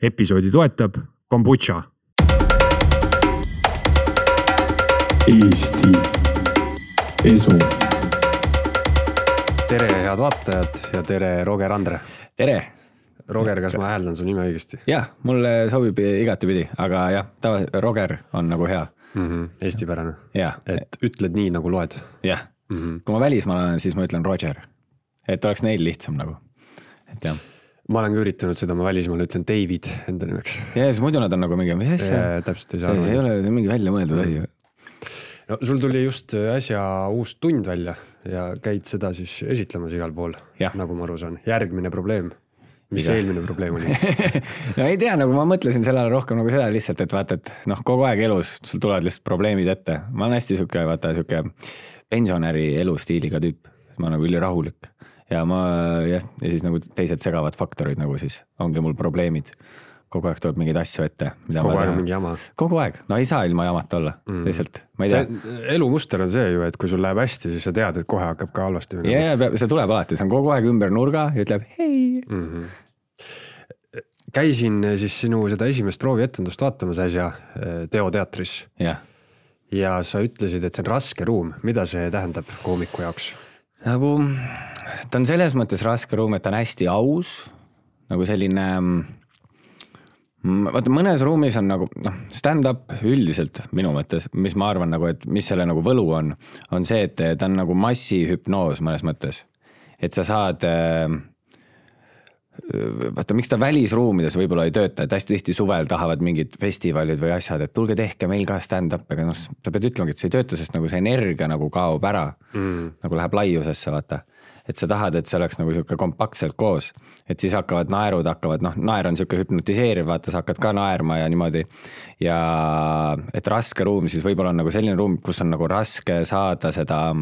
episoodi toetab Kombucha. Eesti Esu. Tere head vaatajad ja tere Roger Andre. Tere. Roger, kas ma hääldan su nime õigesti? Jah, mulle sobib igatepidi, aga jah, Roger on nagu hea. Eestipärane. Jah. Et ütled nii nagu loed. Jah. Kui ma välismaal olen, siis ma ütlen Roger. Et oleks neil lihtsam nagu. Et jah. Ma olen ka üritanud seda, ma välismaal ütlen David enda nimeks. Ja siis muidu nad on nagu mingi, mis asja? Täpselt ei saa. See ei ole mingi välja mõeldud asi. No, sul tuli just äsja uus tund välja ja käid seda siis esitlemas igal pool, nagu ma aru saan. Järgmine probleem. Mis eelmine probleem oli? No ei tea, nagu ma mõtlesin sellele rohkem nagu seda lihtsalt, et vaata, et kogu aeg elus sul tulevad lihtsalt probleemid ette. Ma olen hästi siuke pensionäri elustiiliga tüüp. Ma olen nagu üli rahulik. Ja siis nagu teised segavad faktorid nagu siis ongi mul probleemid. Kogu aeg tuleb mingeid asju ette. Kogu aeg on mingi jama. Kogu aeg. No ei saa ilma jamata olla. Teisalt. Ma ei tea. Elumuster on see ju, et kui sul läheb hästi, siis sa tead, et kohe hakkab ka halvasti. Ja, see tuleb alati. See on kogu aeg ümber nurga ja ütleb hei. Käisin siis sinu seda esimest proovietendust vaatamas äsja Teo teatris. Ja sa ütlesid, et see on raske ruum. Mida see tähendab koomiku jaoks? Nagu, ta on selles mõttes raske ruum, et ta on hästi aus. Nagu selline... Vaata, mõnes ruumis on nagu stand-up üldiselt minu mõttes, mis ma arvan, nagu, et mis selle nagu võlu on see, et ta on nagu massihüpnoos mõnes mõttes. Et sa saad, vaata, miks ta välisruumides võib-olla ei tööta, et hästi tihti suvel tahavad mingid festivalid või asjad, et tulge tehke meil ka stand-up, aga sa pead ütlema, et see ei tööta, sest nagu see energia nagu kaob ära, nagu läheb laiusesse, vaata. Et sa tahad, et see oleks nagu siuke kompaktselt koos, et siis hakkavad naerud, naer on siuke hüpnotiseeriv, vaata, sa hakkad ka naerma ja niimoodi. Ja et raske ruum, siis võib-olla on nagu selline ruum, kus on nagu raske saada seda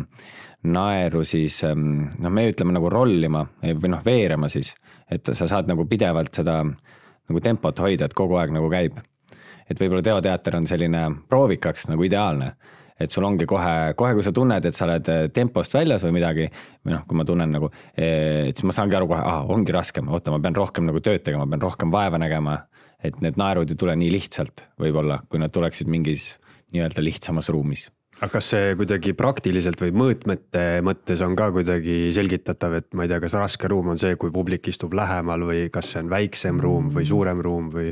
naeru siis, me ütleme nagu rollima või veerema siis, et sa saad nagu pidevalt seda nagu tempot hoida, et kogu aeg nagu käib. Et võib-olla teoteater on selline proovikaks nagu ideaalne. Et sul ongi kohe, kui sa tunned, et sa oled tempost väljas või midagi, või kui ma tunnen nagu, et siis ma saangi aru kohe, ongi raskem, ma pean rohkem nagu tööd tegema, ma pean rohkem vaeva nägema, et need naerud ei tule nii lihtsalt võib-olla, kui nad tuleksid mingis nii-öelda lihtsamas ruumis. Aga kas see kuidagi praktiliselt või mõõtmete mõttes on ka kuidagi selgitatav, et ma ei tea, kas raske ruum on see, kui publik istub lähemal või kas see on väiksem ruum või suurem ruum või...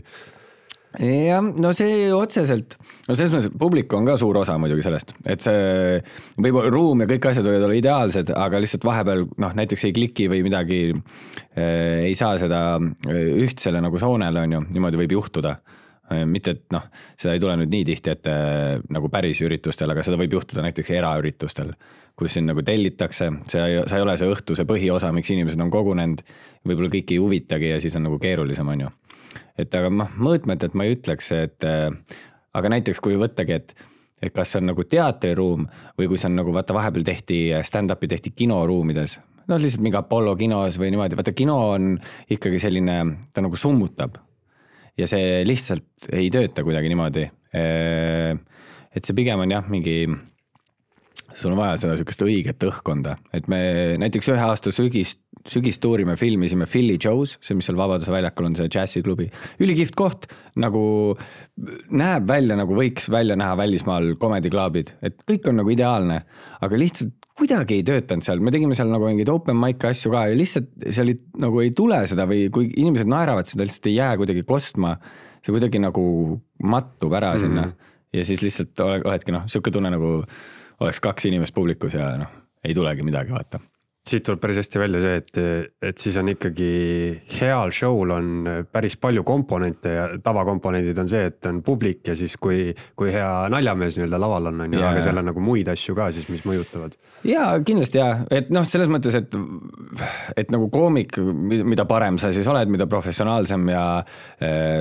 Ja, no see otseselt, selles mõttes publik on ka suur osa muidugi sellest, et see võib ruum ja kõik asjad võivad olla ideaalsed, aga lihtsalt vahepeal näiteks ei kliki või midagi ei saa seda ühtsele nagu soonele on ju, niimoodi võib juhtuda. Mitte, et seda ei tule nüüd nii tihti, et nagu päris üritustel, aga seda võib juhtuda näiteks eraüritustel, kus siin nagu tellitakse, sa ei ole see õhtu, see põhiosa, miks inimesed on kogunenud, võib-olla kõik ei huvitagi ja siis on nagu keerulisem on ju. Et aga mõõtmed, et ma ei ütleks, et aga näiteks kui võttagi, et kas see on nagu teatriruum või kui see on nagu vaata vahepeal tehti stand-upi tehti kinoruumides, lihtsalt mingi Apollo kinos või niimoodi, vaata kino on ikkagi selline, ta nagu summutab ja see lihtsalt ei tööta kuidagi niimoodi, et see pigem on jah mingi sul on vaja seda sükest õiget õhkonda, et me näiteks ühe aasta sügistuuri me filmisime Philly Joe's, see mis seal Vabaduse väljakul on see džässiklubi, ülikihvt koht, nagu näeb välja, nagu võiks välja näha välismaal komediklaabid, et kõik on nagu ideaalne, aga lihtsalt kuidagi ei töötanud seal, me tegime seal nagu mingid open mic asju ka ja lihtsalt seal nagu ei tule seda või kui inimesed naeravad seda, lihtsalt ei jää kuidagi kostma, see kuidagi nagu mattub ära sinna ja siis lihtsalt oledki siuke tunne nagu oleks kaks inimest publikus ja ei tulegi midagi vaata. Siit tuleb päris hästi välja see, et siis on ikkagi heal show'l on päris palju komponente ja tavakomponendid on see, et on publik ja siis kui hea naljamees nii-öelda laval on, aga seal on nagu muid asju ka siis, mis mõjutavad. Jaa, kindlasti jah, et selles mõttes, et nagu koomik, mida parem sa siis oled, mida professionaalsem ja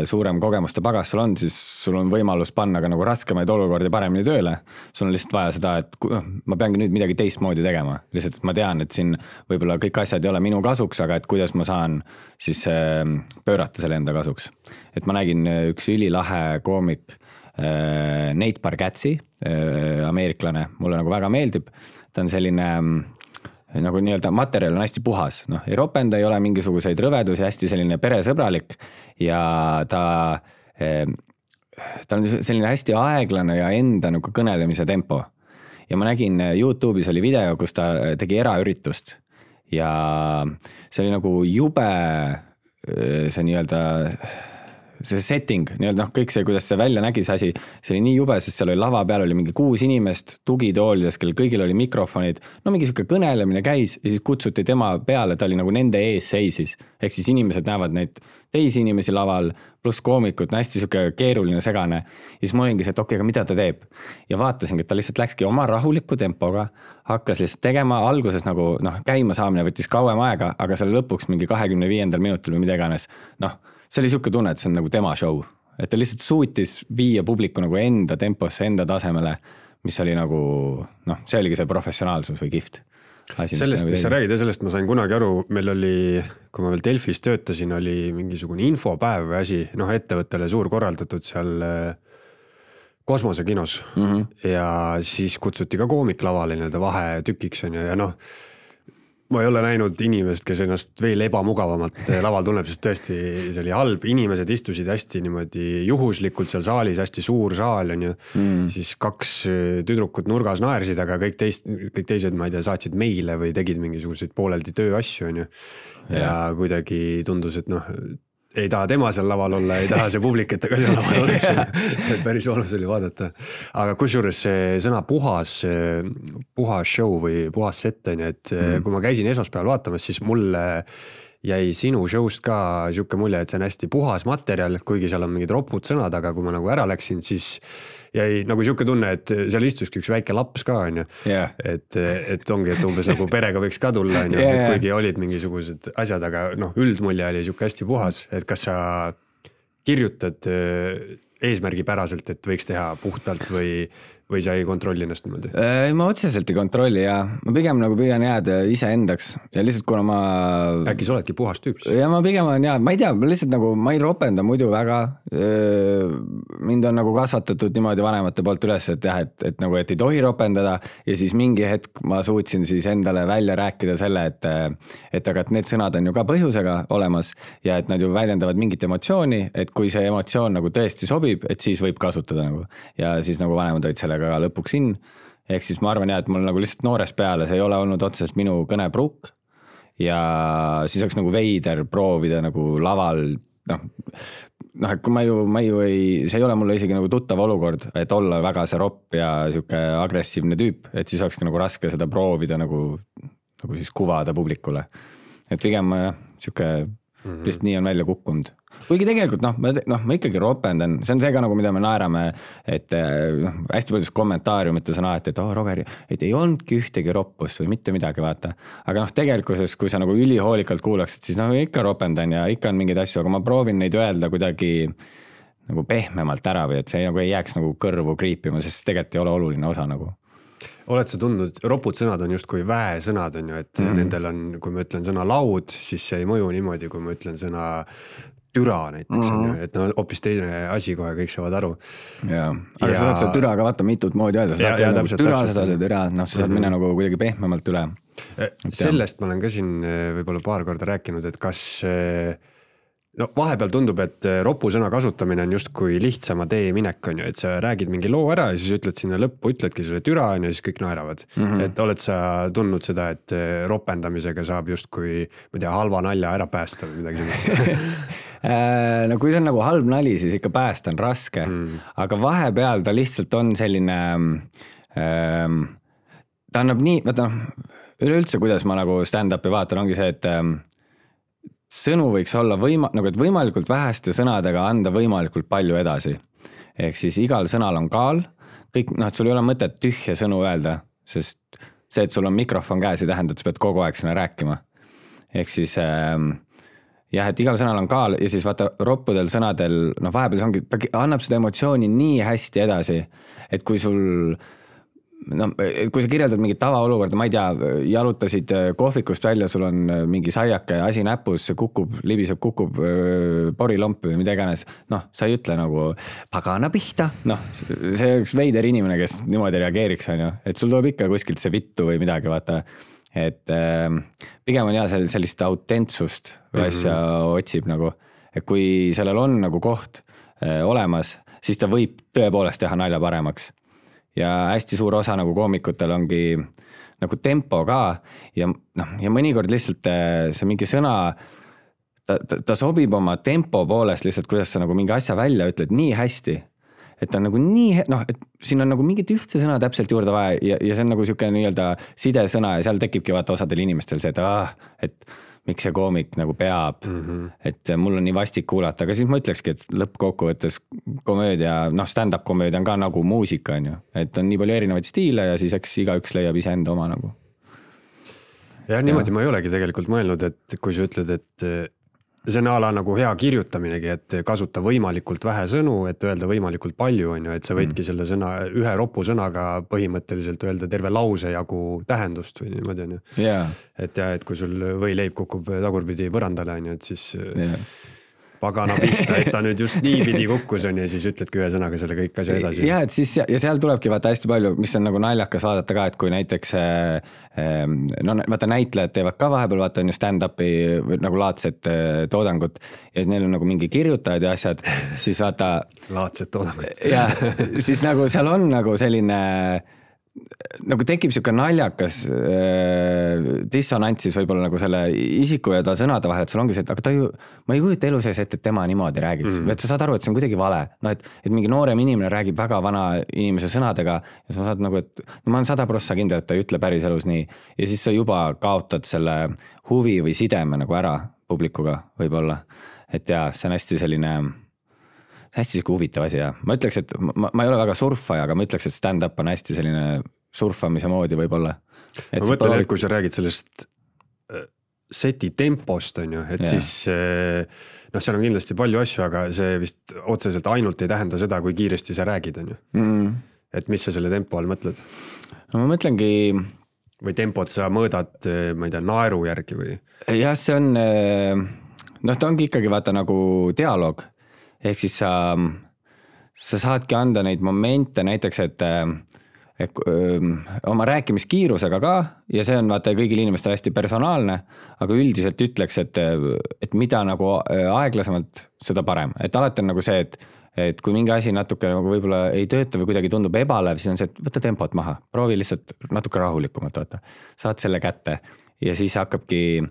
suurem kogemuste pagas sul on, siis sul on võimalus panna ka nagu raskemaid olukordi paremini tööle. Sul on lihtsalt vaja seda, et ma peangi nüüd midagi teistmoodi tegema. Lihtsalt ma tean, et siin võib-olla kõik asjad ei ole minu kasuks, aga et kuidas ma saan siis pöörata selle enda kasuks. Et ma nägin üks ülilahe koomik Nate Bargatze, ameeriklane, mulle nagu väga meeldib. Ta on selline nagu nii-öelda materjal on hästi puhas, noh, ei ropenda, ei ole mingisuguseid rõvedusi, hästi selline peresõbralik ja ta on selline hästi aeglane ja enda nagu kõnelemise tempo. Ja ma nägin YouTube'is oli video, kus ta tegi eraüritust ja see oli nagu jube see nii-öelda see setting, nii-öelda kõik see, kuidas see välja nägi see asi, see oli nii jube, sest seal oli lava peal oli mingi 6 inimest tugitoolides, kellel kõigil oli mikrofonid, no mingi siuke kõnelemine käis ja siis kutsuti tema peale, ta oli nagu nende ees seisis, ehk siis inimesed näevad neid teisi inimesi laval, pluss koomikud, hästi siuke keeruline segane ja siis ma olingi see, et okei, aga mida ta teeb ja vaatasingi, et ta lihtsalt läkski oma rahuliku tempoga, hakkas lihtsalt tegema alguses nagu käima saamine võttis kauem aega, aga seal lõpuks mingi 25. minutil või mida iganes, see oli siuke tunne, et see on nagu tema show, et ta lihtsalt suutis viia publiku nagu enda temposse, enda tasemele, mis oli nagu, see oligi see professionaalsus või gift. Sellest, mis sa räägid ja sellest ma sain kunagi aru, meil oli, kui ma veel Delfis töötasin, oli mingisugune infopäev või asi, ettevõttele suur korraldatud seal kosmosekinos ja siis kutsuti ka koomik lavale nii-öelda vahetükiks on ja ma ei ole näinud inimest, kes ennast veel ebamugavamalt laval tunneb, sest tõesti see oli halb, inimesed istusid hästi niimoodi juhuslikult seal saalis, hästi suur saal on ju, siis 2 tüdrukut nurgas naersid, aga kõik teised, ma ei tea, saatsid meile või tegid mingisuguseid pooleldi tööasju on ju ja kuidagi tundus, et ei taha tema seal laval olla, ei taha see publik, et ta ka seal laval oleks. Et päris valus oli vaadata. Aga kusjuures see sõna puhas show või puhas set on, et kui ma käisin esmaspäeval vaatamas, siis mulle jäi sinu show'st ka siuke mulje, et see on hästi puhas materjal, kuigi seal on mingid ropud sõnad, aga kui ma nagu ära läksin, siis jäi nagu siuke tunne, et seal istuski üks väike laps ka on ju. Et ongi, et umbes nagu perega võiks ka tulla on ju, et kuigi olid mingisugused asjad, aga üldmulje oli siuke hästi puhas, et kas sa kirjutad eesmärgipäraselt, et võiks teha puhtalt või sa ei kontrolli ennast niimoodi? Ma otseselt ei kontrolli ja ma pigem nagu püüan jääda iseendaks ja lihtsalt kuna ma... Äkki sa oledki puhas tüüps? Ja ma pigem on ma ei tea, lihtsalt nagu ma ei ropenda muidu väga. Mind on nagu kasvatatud niimoodi vanemate poolt üles, et jah, et nagu, et ei tohi ropendada ja siis mingi hetk ma suutsin siis endale välja rääkida selle, et aga et need sõnad on ju ka põhjusega olemas ja et nad ju väljendavad mingit emotsiooni, et kui see emotsioon nagu tõesti sobib, et siis võib kasutada nagu ja siis nagu vanemad olid sellega lõpuks in, ehk siis ma arvan et mul nagu lihtsalt noores peale, see ei ole olnud otseselt minu kõnepruuk ja siis oleks nagu veider proovida nagu laval, et kui ma ju ei, see ei ole mulle isegi nagu tuttav olukord, et olla väga see ropp ja siuke agressiivne tüüp, et siis olekski nagu raske seda proovida nagu siis kuvada publikule, et pigem siuke lihtsalt nii on välja kukkunud. Kuigi tegelikult ma ikkagi ropendan, see on see ka nagu mida me naerame, et hästi paljus kommentaariumites on et Roger, et ei olnudki ühtegi roppust või mitte midagi vaata, aga tegelikkuses, kui sa nagu ülihoolikalt kuulaksid, siis ikka ropendan ja ikka on mingeid asju, aga ma proovin neid öelda kuidagi nagu pehmemalt ära või et see nagu ei jääks nagu kõrvu kriipima, sest tegelikult ei ole oluline osa nagu. Oled sa tundnud, ropud sõnad on justkui väesõnad on ju, et nendel on, kui ma ütlen sõna laud, siis see ei mõju niimoodi, kui ma ütlen sõna türa näiteks on ju, et hoopis teine asi kohe, kõik saavad aru. Aga sa saad seda türa ka vaata mitut moodi öelda, sa saad türa, sa saad minna nagu kuidagi pehmemalt üle. Sellest ma olen ka siin võib-olla paar korda rääkinud, et kas vahepeal tundub, et ropusõna kasutamine on justkui lihtsama tee minek on ju, et sa räägid mingi loo ära ja siis ütled sinna lõppu, ütledki selle türa on ja siis kõik naeravad. Et oled sa tundnud seda, et ropendamisega saab justkui, ma tea, halva nalja ära päästa või midagi sellist? No kui see on nagu halb nali, siis ikka päästa on raske, aga vahepeal ta lihtsalt on selline, ta annab nii, üleüldse kuidas ma nagu stand-upi vaatan, ongi see, et sõnu võiks olla et võimalikult väheste sõnadega anda võimalikult palju edasi. Ehk siis igal sõnal on kaal, kõik, et sul ei ole mõtet tühja sõnu öelda, sest see, et sul on mikrofon käes, ei tähenda, et sa pead kogu aeg sõna rääkima. Ehk siis et igal sõnal on kaal ja siis vaata roppudel sõnadel, vahepeal ongi, ta annab seda emotsiooni nii hästi edasi, et kui sul kui sa kirjeldad mingit tavaolukorda, ma ei tea, jalutasid kohvikust välja, sul on mingi saiake asi näpus, see libiseb, kukub porilomp või mida iganes, sa ei ütle nagu pagana pihta, see üks veider inimene, kes niimoodi reageeriks, on ju, et sul tuleb ikka kuskilt see vittu või midagi, vaata, et pigem on sellist autentsust või asja otsib nagu, et kui sellel on nagu koht olemas, siis ta võib tõepoolest teha nalja paremaks. Ja hästi suur osa nagu koomikutel ongi nagu tempo ka ja mõnikord lihtsalt see mingi sõna, ta sobib oma tempo poolest lihtsalt, kuidas sa nagu mingi asja välja ütled nii hästi, et ta on nagu nii, et siin on nagu mingit ühtse sõna täpselt juurde vaja ja see on nagu siuke nii-öelda sidesõna ja seal tekibki vaata osadel inimestel see, et miks see koomik nagu peab, et mul on nii vastik kuulata, aga siis ma ütlekski, et lõppkokkuvõttes komöödia, stand-up komöödia on ka nagu muusika, on ju, et on nii palju erinevaid stiile ja siis eks igaüks leiab iseenda oma nagu. Ja niimoodi ma ei olegi tegelikult mõelnud, et kui sa ütled, et see on ala nagu hea kirjutaminegi, et kasuta võimalikult vähe sõnu, et öelda võimalikult palju, on ju, et sa võidki selle sõna, ühe ropu sõnaga põhimõtteliselt öelda terve lause jagu tähendust või niimoodi, on ju. Et kui sul võileib kukub tagurpidi põrandale, on ju, et siis pagana pihta, et ta nüüd just nii pidi kukkus on ja siis ütledki ühe sõnaga selle kõik asja edasi. Ja, et siis, ja seal tulebki vaata hästi palju, mis on nagu naljakas vaadata ka, et kui näiteks vaata näitlejad teevad ka vahepeal, vaata on ju stand-upi nagu laadset toodangut ja neil on nagu mingi kirjutajad ja asjad, siis vaata laadset toodangut. Ja siis nagu seal on nagu selline nagu tekib siuke naljakas dissonants siis võib-olla nagu selle isiku ja ta sõnade vahel, et sul ongi see, et aga ta ju, ma ei kujuta elu sees ette, et tema niimoodi räägiks. Et sa saad aru, et see on kuidagi vale. Et mingi noorem inimene räägib väga vana inimese sõnadega ja sa saad nagu, et ma olen 100% kindel, et ta ei ütle päris elus nii. Ja siis sa juba kaotad selle huvi või sideme nagu ära publikuga võib-olla. Et jaa, see on hästi selline hästi huvitav asi ja ma ütleks, et ma ei ole väga surfaja, aga ma ütleks, et stand-up on hästi selline surfamise moodi võib-olla. Ma mõtlen, et kui sa räägid sellest seti tempost, on ju, et siis seal on kindlasti palju asju, aga see vist otseselt ainult ei tähenda seda, kui kiiresti sa räägid, on ju. Et mis sa selle tempo all mõtled? No ma mõtlengi või tempot sa mõõdad, ma ei tea, naeru järgi või? Jah, see on ta ongi ikkagi vaata nagu dialoog. Ehk siis sa saadki anda neid momente näiteks, et oma rääkimiskiirusega ka ja see on vaata kõigil inimestel hästi personaalne, aga üldiselt ütleks, et mida nagu aeglasemalt, seda parem. Et alati on nagu see, et kui mingi asi natuke nagu võib-olla ei tööta või kuidagi tundub ebalev, siis on see, et võta tempot maha, proovi lihtsalt natuke rahulikumalt, vaata. Saad selle kätte ja siis hakkabki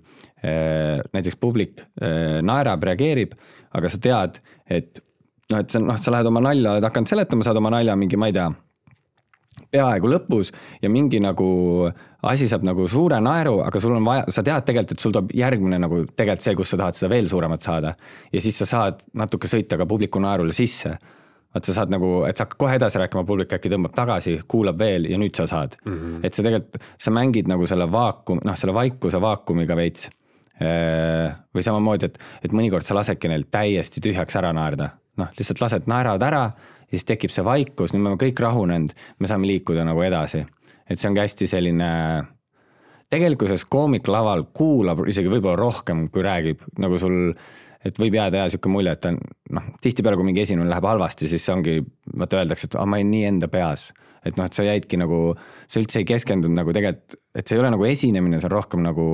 näiteks publik naerab, reageerib, aga sa tead, et sa lähed oma nalja, oled hakanud seletama, saad oma nalja mingi, ma ei tea, peaaegu lõpus ja mingi nagu asi saab nagu suure naeru, aga sul on vaja, sa tead tegelikult, et sul tuleb järgmine nagu tegelikult see, kus sa tahad seda veel suuremat saada ja siis sa saad natuke sõita ka publiku naerule sisse. Et sa saad nagu, et sa hakkad kohe edasi rääkima, publik äkki tõmbab tagasi, kuulab veel ja nüüd sa saad. Et sa tegelikult, sa mängid nagu selle selle vaikuse vaakumiga veits. Või samamoodi, et mõnikord sa lasedki neil täiesti tühjaks ära naerda. Lihtsalt lased naeravad ära ja siis tekib see vaikus, nüüd me oleme kõik rahunenud, me saame liikuda nagu edasi. Et see on hästi selline, tegelikkuses koomik laval kuulab isegi võib-olla rohkem, kui räägib, nagu sul, et võib jääda siuke mulje, et tihti peale, kui mingi esinemine läheb halvasti, siis see ongi, vaata öeldakse, et ma olin nii enda peas. Et et sa jäidki nagu, sa üldse ei keskendunud nagu tegelikult, et see ei ole nagu esinemine, see on rohkem nagu,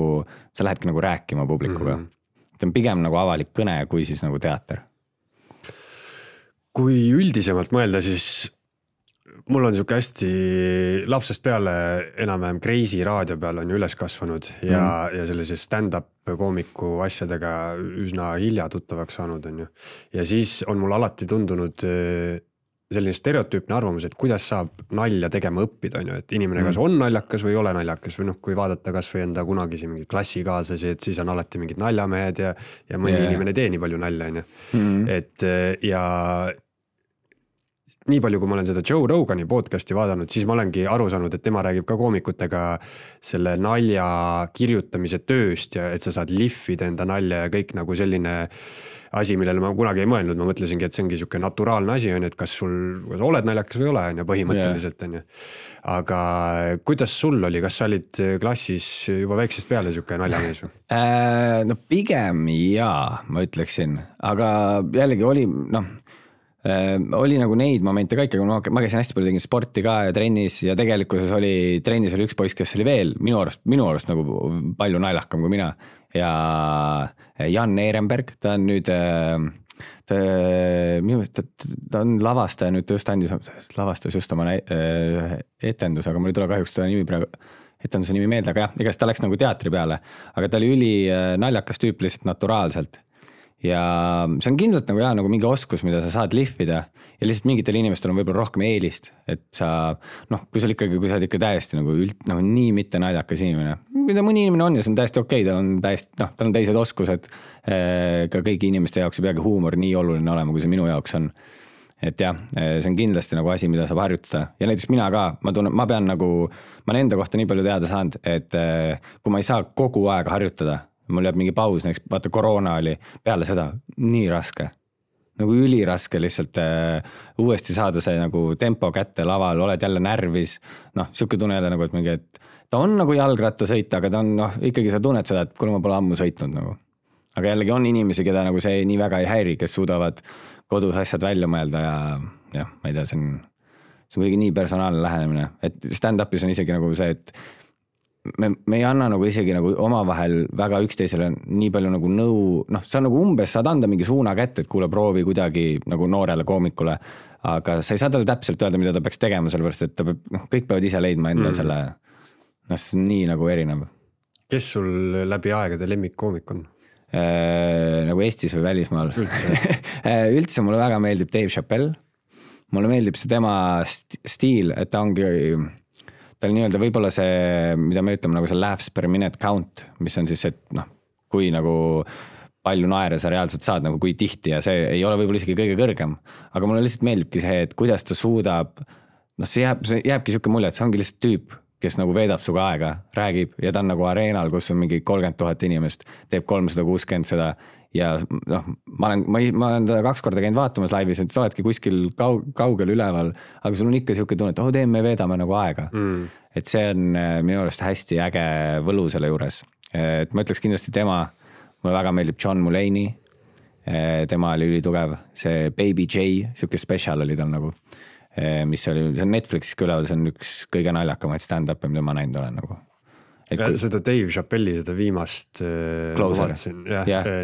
sa lähedki nagu rääkima publikuga. See on pigem nagu avalik kõne, kui siis nagu teater. Kui üldisemalt mõelda, siis mul on siuke hästi lapsest peale enam-vähem Kreisi raadio peal on ju üles kasvanud ja sellise stand-up koomiku asjadega üsna hilja tuttavaks saanud on ju. Ja siis on mul alati tundunud selline stereotüüpne arvamus, et kuidas saab nalja tegema õppida, on ju, et inimene kas on naljakas või ei ole naljakas või kui vaadata kas või enda kunagisi mingi klassikaaslasi, et siis on alati mingid naljamehed ja mõni inimene tee nii palju nalja, on ju. Et ja nii palju, kui ma olen seda Joe Rogani podcasti vaadanud, siis ma olengi aru saanud, et tema räägib ka koomikutega selle nalja kirjutamise tööst ja et sa saad lihvida enda nalja ja kõik nagu selline asi, millele ma kunagi ei mõelnud. Ma mõtlesingi, et see ongi siuke naturaalne asi, on, et kas sul oled naljakas või ole, on ju, põhimõtteliselt on ju. Aga kuidas sul oli, kas sa olid klassis juba väiksest peale siuke naljamees või? No pigem jaa, ma ütleksin, aga jällegi oli, oli nagu neid momente ka ikka, kui ma käisin hästi palju, tegin sporti ka ja trennis ja tegelikkuses trennis oli üks poiss, kes oli veel minu arust nagu palju naljahkam kui mina ja Jan Ehrenberg, ta on nüüd ta on lavastaja, nüüd ta lavastas just oma etendus, aga mul ei tule kahjuks ta nimi praegu, etenduse nimi meelde, aga jah, igast ta läks nagu teatri peale, aga ta oli üli naljakas tüüp lihtsalt naturaalselt. Ja see on kindlalt nagu, nagu mingi oskus, mida sa saad lihvida ja lihtsalt mingitel inimestel on võib-olla rohkem eelist, et sa, kui sa oled ikka täiesti nagu nii mitte naljakas inimene, mida mõni inimene on ja see on täiesti okei, tal on teised oskused, ka kõigi inimeste jaoks ei peagi huumor nii oluline olema, kui see minu jaoks on. Et jah, see on kindlasti nagu asi, mida saab harjutada ja näiteks mina ka, ma pean nagu, ma olen enda kohta nii palju teada saanud, et kui ma ei saa kogu aeg harjutada, mul jääb mingi paus, näiteks vaata koroona oli peale seda nii raske, nagu üliraske lihtsalt uuesti saada see nagu tempo kätte laval, oled jälle närvis, siuke tunne jälle nagu, et mingi, et ta on nagu jalgratta sõita, aga ta on ikkagi sa tunned seda, et kuule ma pole ammu sõitnud nagu. Aga jällegi on inimesi, keda nagu see nii väga ei häiri, kes suudavad kodus asjad välja mõelda ja ma ei tea, see on kuidagi nii personaalne lähenemine, et stand-upis on isegi nagu see, et me ei anna nagu isegi nagu omavahel väga üksteisele nii palju nagu nõu, sa nagu umbes saad anda mingi suuna kätte, et kuule proovi kuidagi nagu noorele koomikule, aga sa ei saa talle täpselt öelda, mida ta peaks tegema, sellepärast, et ta peab, kõik peavad ise leidma enda selle, see on nii nagu erinev. Kes sul läbi aegade lemmikkoomik on? Nagu Eestis või välismaal? Üldse mulle väga meeldib Dave Chappelle. Mulle meeldib see tema stiil, et ta ongi tal nii-öelda võib-olla see, mida me ütleme, nagu see laughs per minute count, mis on siis, et kui nagu palju naere sa reaalselt saad, nagu kui tihti ja see ei ole võib-olla isegi kõige kõrgem, aga mulle lihtsalt meeldibki see, et kuidas ta suudab, see jääbki siuke mulje, et see ongi lihtsalt tüüp, kes nagu veedab suga aega, räägib ja ta on nagu areenal, kus on mingi 30 000 inimest, teeb 360 seda ja ma olen teda 2 korda käinud vaatamas laivis, et sa oledki kuskil kaugel üleval, aga sul on ikka siuke tunne, et me veedame nagu aega. Et see on minu arust hästi äge võlu selle juures. Et ma ütleks kindlasti tema, mulle väga meeldib John Mulaney, tema oli ülitugev, see Baby J, siuke special oli tal nagu, mis oli, see on Netflixis küleval, see on üks kõige naljakamaid stand-up'e, mida ma näinud olen nagu. Seda Dave Chappelle'i seda viimast vaatasin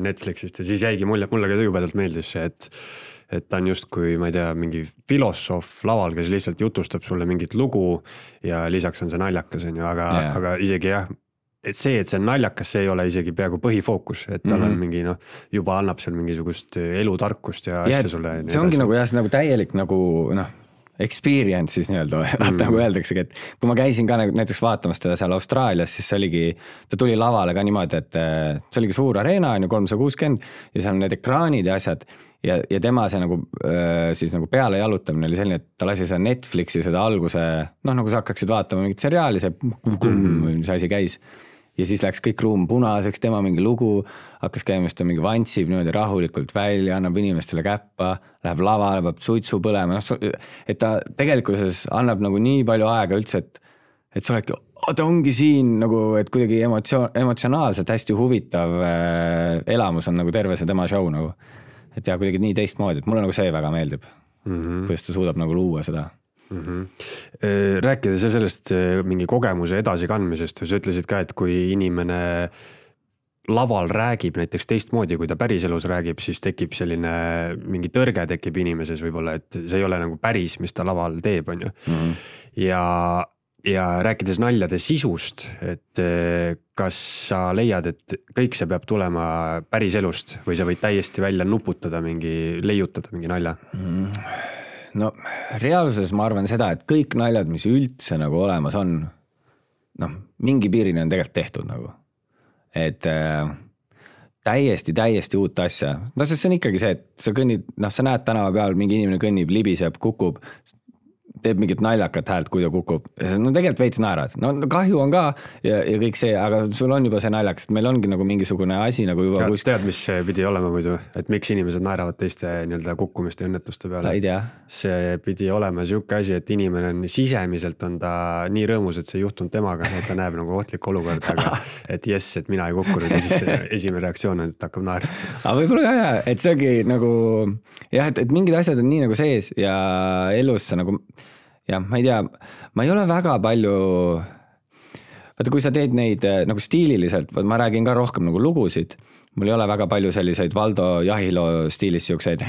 Netflixist ja siis jäigi mulle ka jubedalt meeldis see, et ta on justkui, ma ei tea, mingi filosoof laval, kes lihtsalt jutustab sulle mingit lugu ja lisaks on see naljakas, aga isegi jah, et see on naljakas, see ei ole isegi peaaegu põhifookus, et tal on mingi juba annab seal mingisugust elutarkust ja asja sulle. See ongi nagu jah, see nagu täielik nagu experience siis nii-öelda, nagu öeldaksegi, et kui ma käisin ka näiteks vaatamas teda seal Austraalias, siis ta tuli lavale ka niimoodi, et see oligi suur areena, 360 ja seal on need ekraanid ja asjad ja tema see nagu, siis nagu peale jalutamine oli selline, et ta lasi seda Netflixi seda alguse, nagu sa hakkaksid vaatama mingit seriaali, mis asi käis ja siis läks kõik ruum punaseks, tema mingi lugu, hakkas käimast, ta mingi vantsib niimoodi rahulikult välja, annab inimestele käppa, läheb lavale, peab suitsu põlema, et ta tegelikkuses annab nagu nii palju aega üldse, et sa oledki, ta ongi siin nagu, et kuidagi emotsionaalselt hästi huvitav elamus on nagu terve see tema show nagu, et ja kuidagi nii teistmoodi, et mulle nagu see väga meeldib, kuidas ta suudab nagu luua seda. Rääkides sellest mingi kogemuse edasikandmisest, sa ütlesid ka, et kui inimene laval räägib näiteks teistmoodi, kui ta päriselus räägib, siis tekib selline mingi tõrge tekib inimeses võib-olla, et see ei ole nagu päris, mis ta laval teeb, on ju. Ja rääkides naljade sisust, et kas sa leiad, et kõik see peab tulema päriselust või sa võid täiesti välja nuputada leiutada mingi nalja? No reaalsuses ma arvan seda, et kõik naljad, mis üldse nagu olemas on, mingi piirini on tegelikult tehtud nagu. Et täiesti uut asja. See on ikkagi see, et sa kõnnid, sa näed tänava peal, mingi inimene kõnnib, libiseb, kukub. teeb mingit naljakat häält, kui ta kukub. No tegelikult veits naerad. No kahju on ka ja kõik see, aga sul on juba see naljakas, et meil ongi nagu mingisugune asi nagu juba... Tead, mis see pidi olema muidu? Et miks inimesed naeravad teiste nii-öelda kukkumiste ja õnnetuste peale? Ei tea. See pidi olema siuke asi, et inimene on sisemiselt on ta nii rõõmus, et see juhtunud temaga, et ta näeb nagu ohtlik olukord, aga et jess, et mina ei kukkunud ja siis esimene reaktsioon on, et hakkab naer. Aga võib-olla jah, et see ongi nagu jah, et mingid asjad on nii nagu sees ja elus sa nagu jah, ma ei tea, ma ei ole väga palju, vaata kui sa teed neid nagu stiililiselt, ma räägin ka rohkem nagu lugusid, mul ei ole väga palju selliseid Valdo Jahilo stiilis siukseid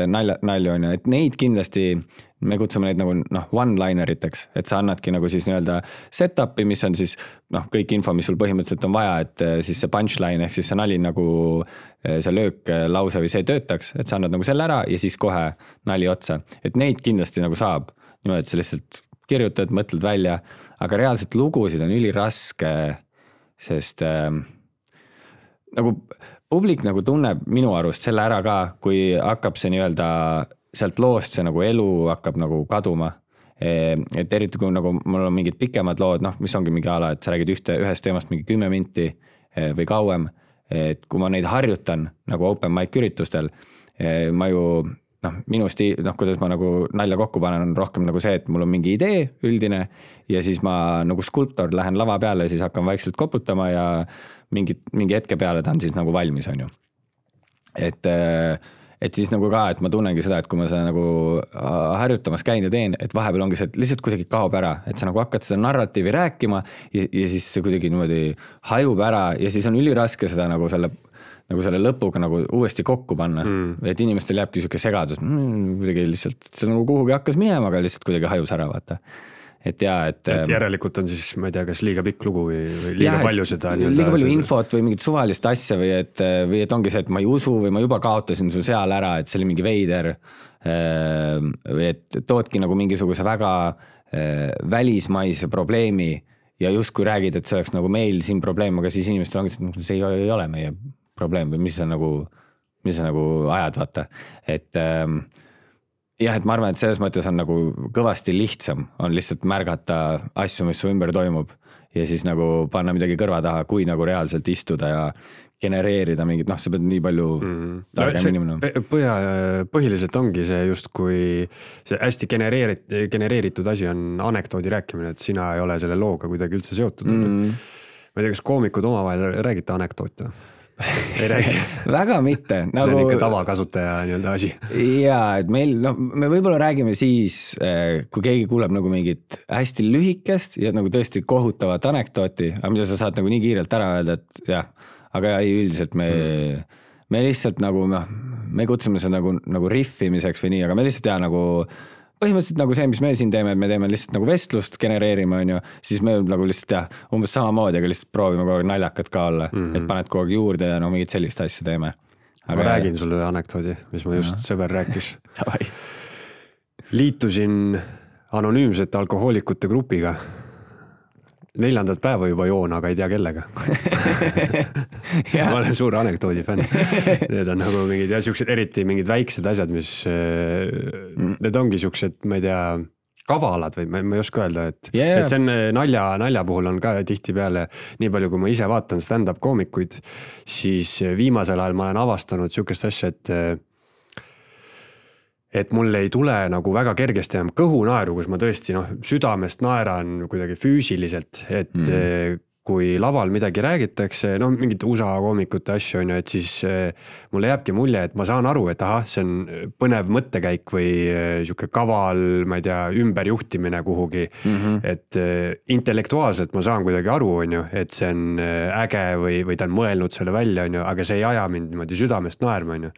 nalju on ju, et neid kindlasti me kutsume neid nagu one-lineriteks, et sa annadki nagu siis nii-öelda set-up'i, mis on siis kõik info, mis sul põhimõtteliselt on vaja, et siis see punchline ehk siis see nali nagu see löök lause või see töötaks, et sa annad nagu selle ära ja siis kohe nali otsa, et neid kindlasti nagu saab niimoodi, et sa lihtsalt kirjutad, mõtled välja, aga reaalselt lugusid on üliraske, sest nagu publik nagu tunneb minu arust selle ära ka, kui hakkab see nii-öelda sealt loost see nagu elu hakkab nagu kaduma. Et eriti kui nagu mul on mingid pikemad lood, mis ongi mingi ala, et sa räägid ühest teemast mingi 10 minti või kauem, et kui ma neid harjutan nagu open mic üritustel, ma ju minu stiil, kuidas ma nagu nalja kokku panen, on rohkem nagu see, et mul on mingi idee üldine ja siis ma nagu skulptor lähen lava peale ja siis hakkan vaikselt koputama ja mingi hetke peale ta on siis nagu valmis, on ju. Et siis nagu ka, et ma tunnengi seda, et kui ma seda nagu harjutamas käin ja teen, et vahepeal ongi see, et lihtsalt kuidagi kaob ära, et sa nagu hakkad seda narratiivi rääkima ja siis see kuidagi niimoodi hajub ära ja siis on üliraske seda nagu selle lõpuga nagu uuesti kokku panna. Et inimestel jääbki siuke segadus, kuidagi lihtsalt, see nagu kuhugi hakkas minema, aga lihtsalt kuidagi hajus ära vaata. Et jaa, et järelikult on siis, ma ei tea, kas liiga pikk lugu või liiga palju seda liiga palju infot või mingit suvalist asja või et ongi see, et ma ei usu või ma juba kaotasin su seal ära, et see oli mingi veider või et toodki nagu mingisuguse väga välismaise probleemi ja justkui räägid, et see oleks nagu meil siin probleem, aga siis inimestel ongi, et see ei ole meie probleem või mis sa nagu ajad, vaata, et jah, et ma arvan, et selles mõttes on nagu kõvasti lihtsam, on lihtsalt märgata asju, mis su ümber toimub ja siis nagu panna midagi kõrva taha, kui nagu reaalselt istuda ja genereerida mingit, sa pead nii palju targem inimene. Põhiliselt ongi see just, kui see hästi genereeritud asi on anekdoodi rääkimine, et sina ei ole selle looga kuidagi üldse seotud. Ma ei tea, kas koomikud omavahel räägite anekdoote? Ei räägi. Väga mitte. See on ikka tavakasutaja nii-öelda asi. Jaa, et meil, me võib-olla räägime siis, kui keegi kuuleb nagu mingit hästi lühikest ja nagu tõesti kohutavat anekdooti, aga mida sa saad nagu nii kiirelt ära öelda, et jah, aga ei üldiselt me lihtsalt nagu, me kutsume seda nagu riffimiseks või nii, aga me lihtsalt nagu põhimõtteliselt nagu see, mis me siin teeme, et me teeme lihtsalt nagu vestlust genereerime, on ju, siis me nagu lihtsalt umbes samamoodi, aga lihtsalt proovime kogu aeg naljakad ka olla, et paned kogu aeg juurde ja mingit sellist asja teeme. Aga ma räägin sulle ühe anekdoodi, mis ma just sõber rääkis. Liitusin anonüümsete alkohoolikute grupiga. 4. päeva juba joon, aga ei tea kellega. Ma olen suur anekdoodi fänn. Need on nagu mingid ja siuksed eriti mingid väiksed asjad, mis need ongi siuksed, ma ei tea, kavalad või ma ei oska öelda, et see on nalja puhul on ka tihti peale, nii palju kui ma ise vaatan stand-up koomikuid, siis viimasel ajal ma olen avastanud siukest asja, et mul ei tule nagu väga kergesti enam kõhunaeru, kus ma tõesti südamest naeran kuidagi füüsiliselt, et kui laval midagi räägitakse, mingid USA koomikute asju on ju, et siis mulle jääbki mulje, et ma saan aru, et see on põnev mõttekäik või siuke kaval, ma ei tea, ümberjuhtimine kuhugi, et intellektuaalselt ma saan kuidagi aru, on ju, et see on äge või ta on mõelnud selle välja, on ju, aga see ei aja mind niimoodi südamest naerma, on ju.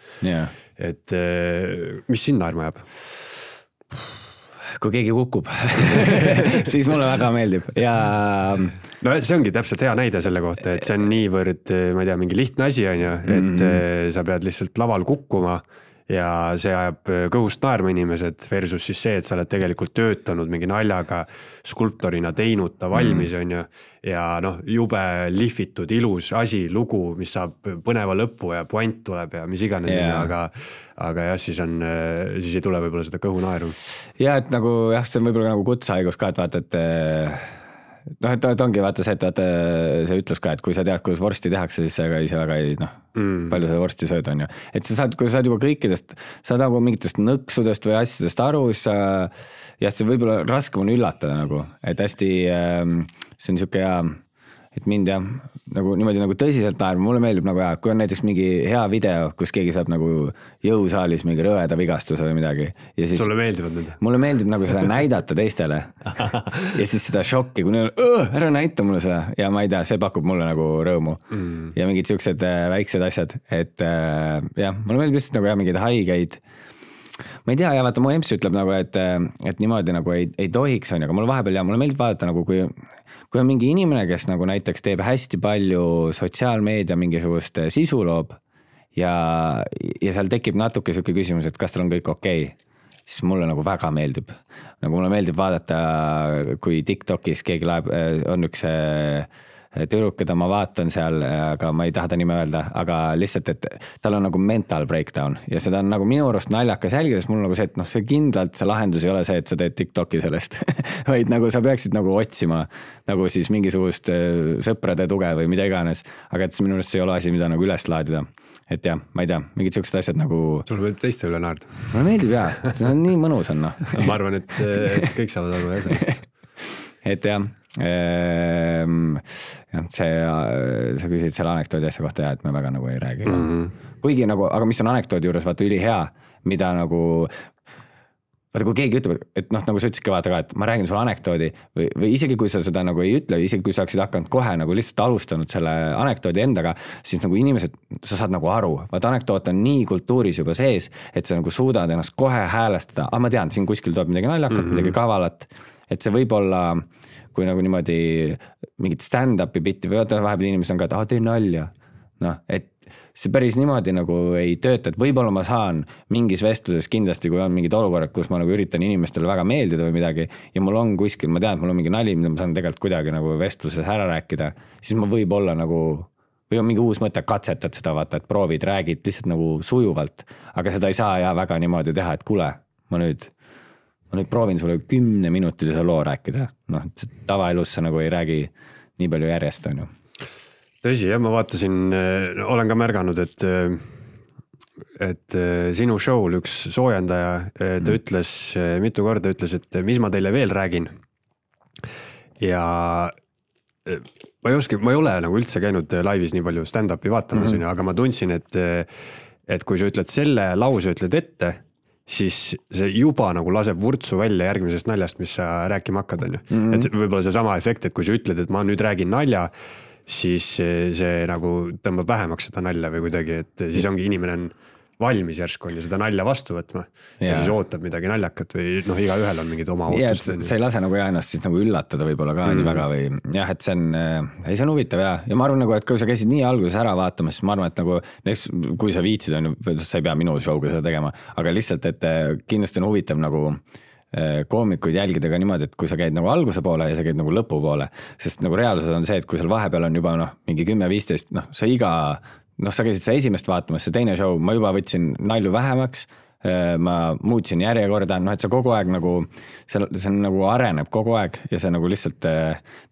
Et mis sind naerma jääb? Kui keegi kukub, siis mulle väga meeldib ja no see ongi täpselt hea näide selle kohta, et see on niivõrd, ma ei tea, mingi lihtne asi on ju, et sa pead lihtsalt laval kukkuma ja see ajab kõhust naerma inimesed versus siis see, et sa oled tegelikult töötanud mingi naljaga, skulptorina teinud ta valmis on ju. Ja noh, jube lihvitud, ilus asi, lugu, mis saab põneva lõppu ja puant tuleb ja mis iganes aga jah, siis ei tule võib-olla seda kõhu naeru. Ja et nagu jah, see on võib-olla nagu kutsehaigus ka, et vaata, et noh, et ongi vaata see, et vaata see ütlus ka, et kui sa tead, kuidas vorsti tehakse, siis sa ise väga ei palju sa vorsti sööd on ju. Et kui sa saad juba kõikidest, saad nagu mingitest nõksudest või asjadest aru, siis see võib-olla raskem on üllatada nagu, et hästi see on niisugune hea, et mind jah, nagu niimoodi nagu tõsiselt naerma, mulle meeldib nagu kui on näiteks mingi hea video, kus keegi saab nagu jõusaalis mingi rõveda vigastuse või midagi. Ja siis, sulle meeldivad need? Mulle meeldib nagu seda näidata teistele ja siis seda šokki, kui neil ära näita mulle seda ja ma ei tea, see pakub mulle nagu rõõmu ja mingid siuksed väiksed asjad, et jah, mulle meeldib lihtsalt nagu mingeid haigeid. Ma ei tea, ja vaata, mu emps ütleb nagu, et niimoodi nagu ei tohiks on, aga mulle vahepeal mulle meeldib vaadata nagu kui on mingi inimene, kes nagu näiteks teeb hästi palju sotsiaalmeedia mingisugust sisu loob ja seal tekib natuke siuke küsimus, et kas tal on kõik okei, siis mulle nagu väga meeldib. Nagu mulle meeldib vaadata, kui TikTokis keegi on üks tüdruk, keda ma vaatan seal, aga ma ei taha ta nime öelda, aga lihtsalt, et tal on nagu mental breakdown ja seda on nagu minu arust naljakas jälgida, sest mul on nagu see, et see kindlalt see lahendus ei ole see, et sa teed TikToki sellest, vaid nagu sa peaksid nagu otsima nagu siis mingisugust sõprade tuge või mida iganes, aga et minu arust see ei ole asi, mida nagu üles laadida. Et jah, ma ei tea, mingid siuksed asjad nagu... Sulle meeldib teiste üle naerda? Mulle meeldib jah, see on nii mõnus on Ma arvan, et kõik saavad aru sellest. Et jah, sa küsid selle anekdoodi asja kohta et me väga nagu ei räägi. Kuigi nagu, aga mis on anekdoodi juures vaata üli hea, mida nagu vaata, kui keegi ütleb, et nagu sa ütlesidki vaata ka, et ma räägin sulle anekdoodi või isegi kui sa seda nagu ei ütle, isegi kui sa oleksid hakanud kohe nagu lihtsalt alustanud selle anekdoodi endaga, siis nagu inimesed, sa saad nagu aru, vaata anekdoot on nii kultuuris juba sees, et sa nagu suudad ennast kohe häälestada, ma tean, siin kuskil tuleb midagi naljakat, midagi kavalat, et see võib olla, kui nagu niimoodi mingit stand-upi bitti või vahepeal inimesed on ka, et tee nalja, et see päris niimoodi nagu ei tööta, et võib-olla ma saan mingis vestluses kindlasti, kui on mingid olukorrad, kus ma nagu üritan inimestele väga meeldida või midagi ja mul on kuskil, ma tean, et mul on mingi nali, mida ma saan tegelikult kuidagi nagu vestluses ära rääkida, siis ma võib olla nagu, või on mingi uus mõte, katsetad seda vaata, et proovid, räägid lihtsalt nagu sujuvalt, aga seda ei saa väga niimoodi teha, et kuule, ma nüüd proovin sulle 10-minutilise loo rääkida, tavaelus sa nagu ei räägi nii palju järjest, on ju. Tõsi, jah, ma vaatasin, olen ka märganud, et sinu show'l üks soojendaja, ta ütles, mitu korda ütles, et mis ma teile veel räägin. Ja ma ei ole nagu üldse käinud laivis nii palju stand-upi vaatamas, aga ma tundsin, et kui sa ütled selle lause, ütled ette, siis see juba nagu laseb vurtsu välja järgmisest naljast, mis sa rääkima hakkad, on ju. Et võib-olla see sama efekt, et kui sa ütled, et ma nüüd räägin nalja, siis see nagu tõmbab vähemaks seda nalja või kuidagi, et siis ongi inimene on valmis järsku on ja seda nalja vastu võtma ja siis ootab midagi naljakat või iga ühel on mingid oma ootused. Sa ei lase nagu ennast siis nagu üllatada võib-olla ka nii väga või jah, et see on huvitav ja ma arvan nagu, et kui sa käisid nii alguses ära vaatama, siis ma arvan, et nagu kui sa viitsid, sa ei pea minu show'ga seda tegema, aga lihtsalt, et kindlasti on huvitav nagu koomikuid jälgida ka niimoodi, et kui sa käid nagu alguse poole ja sa käid nagu lõpu poole, sest nagu reaalsus on see, et kui seal vahepeal on juba mingi 10-15, sa käisid sa esimest vaatamas, see teine show, ma juba võtsin nalju vähemaks, ma muutsin järjekorda, et sa kogu aeg nagu, see nagu areneb kogu aeg ja see nagu lihtsalt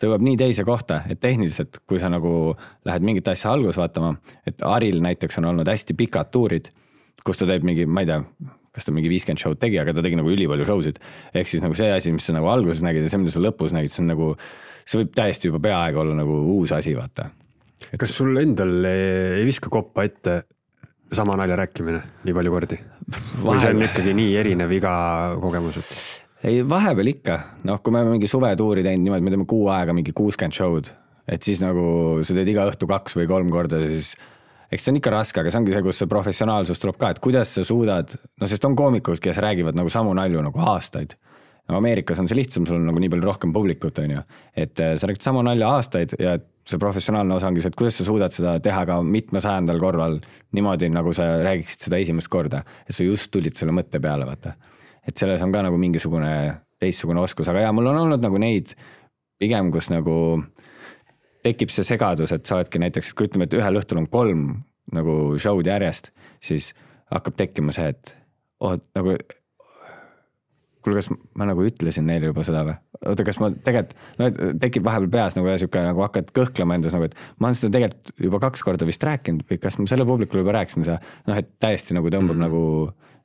tõuab nii teise kohta, et tehniliselt, kui sa nagu lähed mingit asja algus vaatama, et Aril näiteks on olnud hästi pikad tuurid, kus ta teeb mingi, ma ei tea, kas ta mingi 50 show'd tegi, aga ta tegi nagu ülipalju show'sid. Ehk siis nagu see asi, mis sa nagu alguses nägid ja see, mida sa lõpus nägid, see on nagu, see võib täiesti juba peaaegu olla nagu uus asi, vaata. Kas sul endal ei viska koppa ette sama nalja rääkimine nii palju kordi? Või see on ikkagi nii erinev iga kogemus? Ei, vahepeal ikka. Kui me mingi suvetuuri teinud niimoodi, me teeme 6 aega mingi 60 show'd, et siis nagu sa teed iga õhtu 2 või 3 korda, siis eks see on ikka raske, aga see ongi see, kus see professionaalsus tuleb ka, et kuidas sa suudad, sest on koomikud, kes räägivad nagu samu nalju nagu aastaid. Ameerikas on see lihtsam, sul on nagu nii palju rohkem publikut, on ju. Et sa räägid sama nalja aastaid ja see professionaalne osa ongi see, et kuidas sa suudad seda teha ka 700. korral niimoodi, nagu sa räägiksid seda esimest korda, et sa just tulid selle mõtte peale, vaata. Et selles on ka nagu mingisugune teistsugune oskus, aga mul on olnud nagu neid pigem, kus nagu tekib see segadus, et sa oledki näiteks, kui ütleme, et ühel õhtul on 3 nagu show'd järjest, siis hakkab tekkima see, et nagu kuule, kas ma nagu ütlesin neile juba seda või? Oota, kas ma tegelikult, tekib vahepeal peas nagu siuke, nagu hakkad kõhklema endas, nagu, et ma olen seda tegelikult juba 2 korda vist rääkinud või kas ma selle publikule juba rääkisin seda, et täiesti nagu tõmbab nagu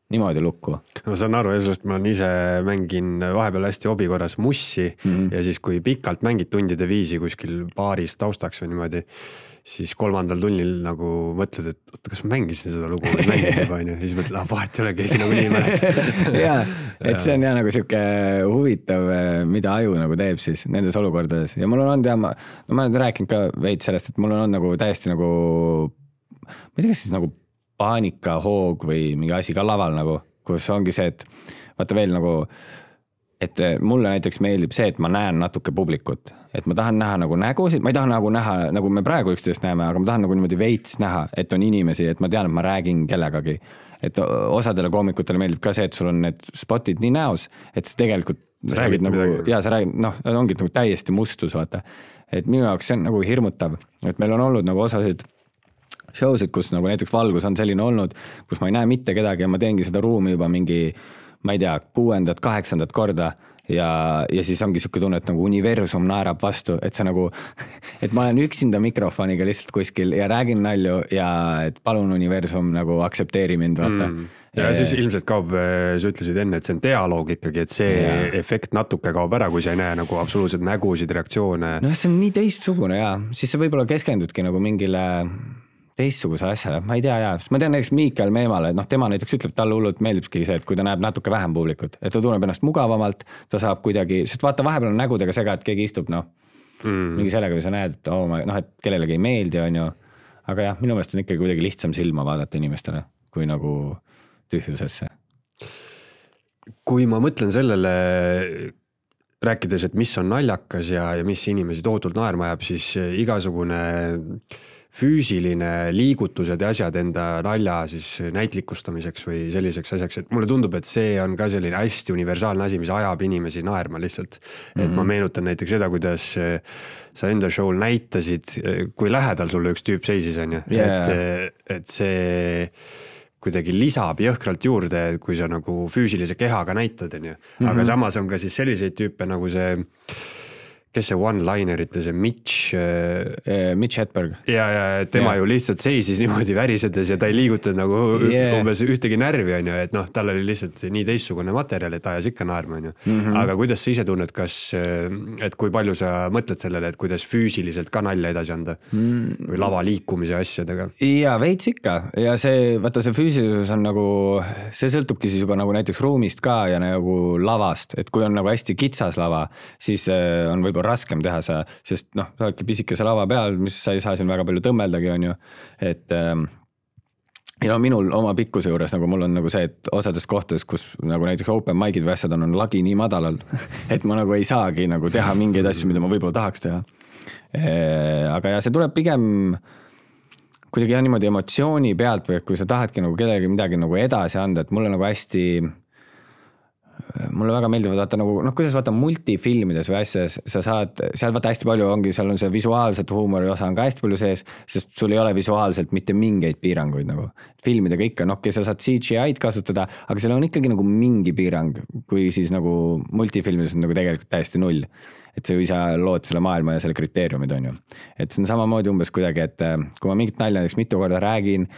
niimoodi lukku. Ma saan aru, sellest ma ise mängin vahepeal hästi hobi korras mussi ja siis kui pikalt mängid tundide viisi kuskil baaris taustaks või niimoodi, siis 3. tunnil nagu mõtled, et oota, kas ma mängisin seda lugu või mängin juba, ja siis mõtled, vahet ei ole, keegi nagu nii mäletab. Jaa, et see on nagu siuke huvitav, mida aju nagu teeb siis nendes olukordades. Ja mul on olnud, ma olen rääkinud ka veid sellest, et mul on olnud nagu täiesti nagu, ma ei tea, kas siis nagu paanikahoog või mingi asi ka laval nagu, kus ongi see, et vaata veel nagu, et mulle näiteks meeldib see, et ma näen natuke publikut, et ma tahan näha nagu nägusid, ma ei taha nagu näha, nagu me praegu üksteist näeme, aga ma tahan nagu niimoodi veits näha, et on inimesi, et ma tean, et ma räägin kellegagi. Et osadele koomikutele meeldib ka see, et sul on need spotid nii näos, et sa tegelikult räägid nagu, ja sa räägid, ongi nagu täiesti mustus, vaata. Et minu jaoks see on nagu hirmutav, et meil on olnud nagu osasid showsid, kus nagu näiteks valgus on selline olnud, kus ma ei näe mitte kedagi ja ma teengi seda ruumi juba mingi, ma ei tea, 6., 8. korda ja siis ongi siuke tunne, et nagu universum naerab vastu, et see nagu, et ma olen üksinda mikrofoniga lihtsalt kuskil ja räägin nalju ja et palun universum nagu aksepteeri mind, vaata. Ja siis ilmselt kaob, sa ütlesid enne, et see on dialoog ikkagi, et see efekt natuke kaob ära, kui sa ei näe nagu absoluutselt nägusid, reaktsioone. No see on nii teistsugune ja siis sa võib-olla keskendudki nagu mingile teistsuguse asjale, ma ei tea ma tean näiteks Miikael Meemale, et tema näiteks ütleb, talle hullult meeldibki see, et kui ta näeb natuke vähem publikut, et ta tunneb ennast mugavamalt, ta saab kuidagi, sest vaata vahepeal on nägudega sega, et keegi istub, mingi sellega või sa näed, et et kellelegi ei meeldi, on ju, aga minu meelest on ikkagi kuidagi lihtsam silma vaadata inimestele, kui nagu tühjusesse. Kui ma mõtlen sellele, rääkides, et mis on naljakas ja mis inimesi tohutult naerma jääb, siis igasugune füüsiline liigutused ja asjad enda nalja siis näitlikustamiseks või selliseks asjaks, et mulle tundub, et see on ka selline hästi universaalne asi, mis ajab inimesi naerma lihtsalt. Et ma meenutan näiteks seda, kuidas sa enda show'l näitasid, kui lähedal sulle üks tüüp seisis, on ju, et see kuidagi lisab jõhkralt juurde, kui sa nagu füüsilise kehaga näitad, on ju. Aga samas on ka siis selliseid tüüpe nagu see, kes see one-linerite, see Mitch Hedberg. Ja tema ju lihtsalt seisis niimoodi värisedes ja ta ei liigutanud nagu umbes ühtegi närvi, on ju, et tal oli lihtsalt nii teistsugune materjal, et ajas ikka naerma, on ju. Aga kuidas sa ise tunned, et kui palju sa mõtled sellele, et kuidas füüsiliselt ka nalja edasi anda või lava liikumise asjadega? Ja veits ikka ja see, vaata see füüsilisus on nagu, see sõltubki siis juba nagu näiteks ruumist ka ja nagu lavast, et kui on nagu hästi kitsas lava, siis on võib-olla raskem teha sa, sest sa oledki pisikese lava peal, mis sa ei saa siin väga palju tõmmeldagi, on ju, et ja minul oma pikkuse juures nagu mul on nagu see, et osades kohtades, kus nagu näiteks open mic'id või asjad on lagi nii madalal, et ma nagu ei saagi nagu teha mingeid asju, mida ma võib-olla tahaks teha. Aga see tuleb pigem kuidagi niimoodi emotsiooni pealt või kui sa tahadki nagu kellelegi midagi nagu edasi anda, et mulle nagu hästi mulle väga meeldivad vaata nagu, kuidas vaata multifilmides või asjas, sa saad, seal vaata hästi palju ongi, seal on see visuaalset huumori osa on ka hästi palju sees, sest sul ei ole visuaalselt mitte mingeid piiranguid nagu. Filmidega ikka, sa saad CGI-d kasutada, aga seal on ikkagi nagu mingi piirang, kui siis nagu multifilmides on nagu tegelikult täiesti null. Et sa ju ise lood selle maailma ja selle kriteeriumid on ju. Et see on samamoodi umbes kuidagi, et kui ma mingit nalja näiteks mitu korda räägin,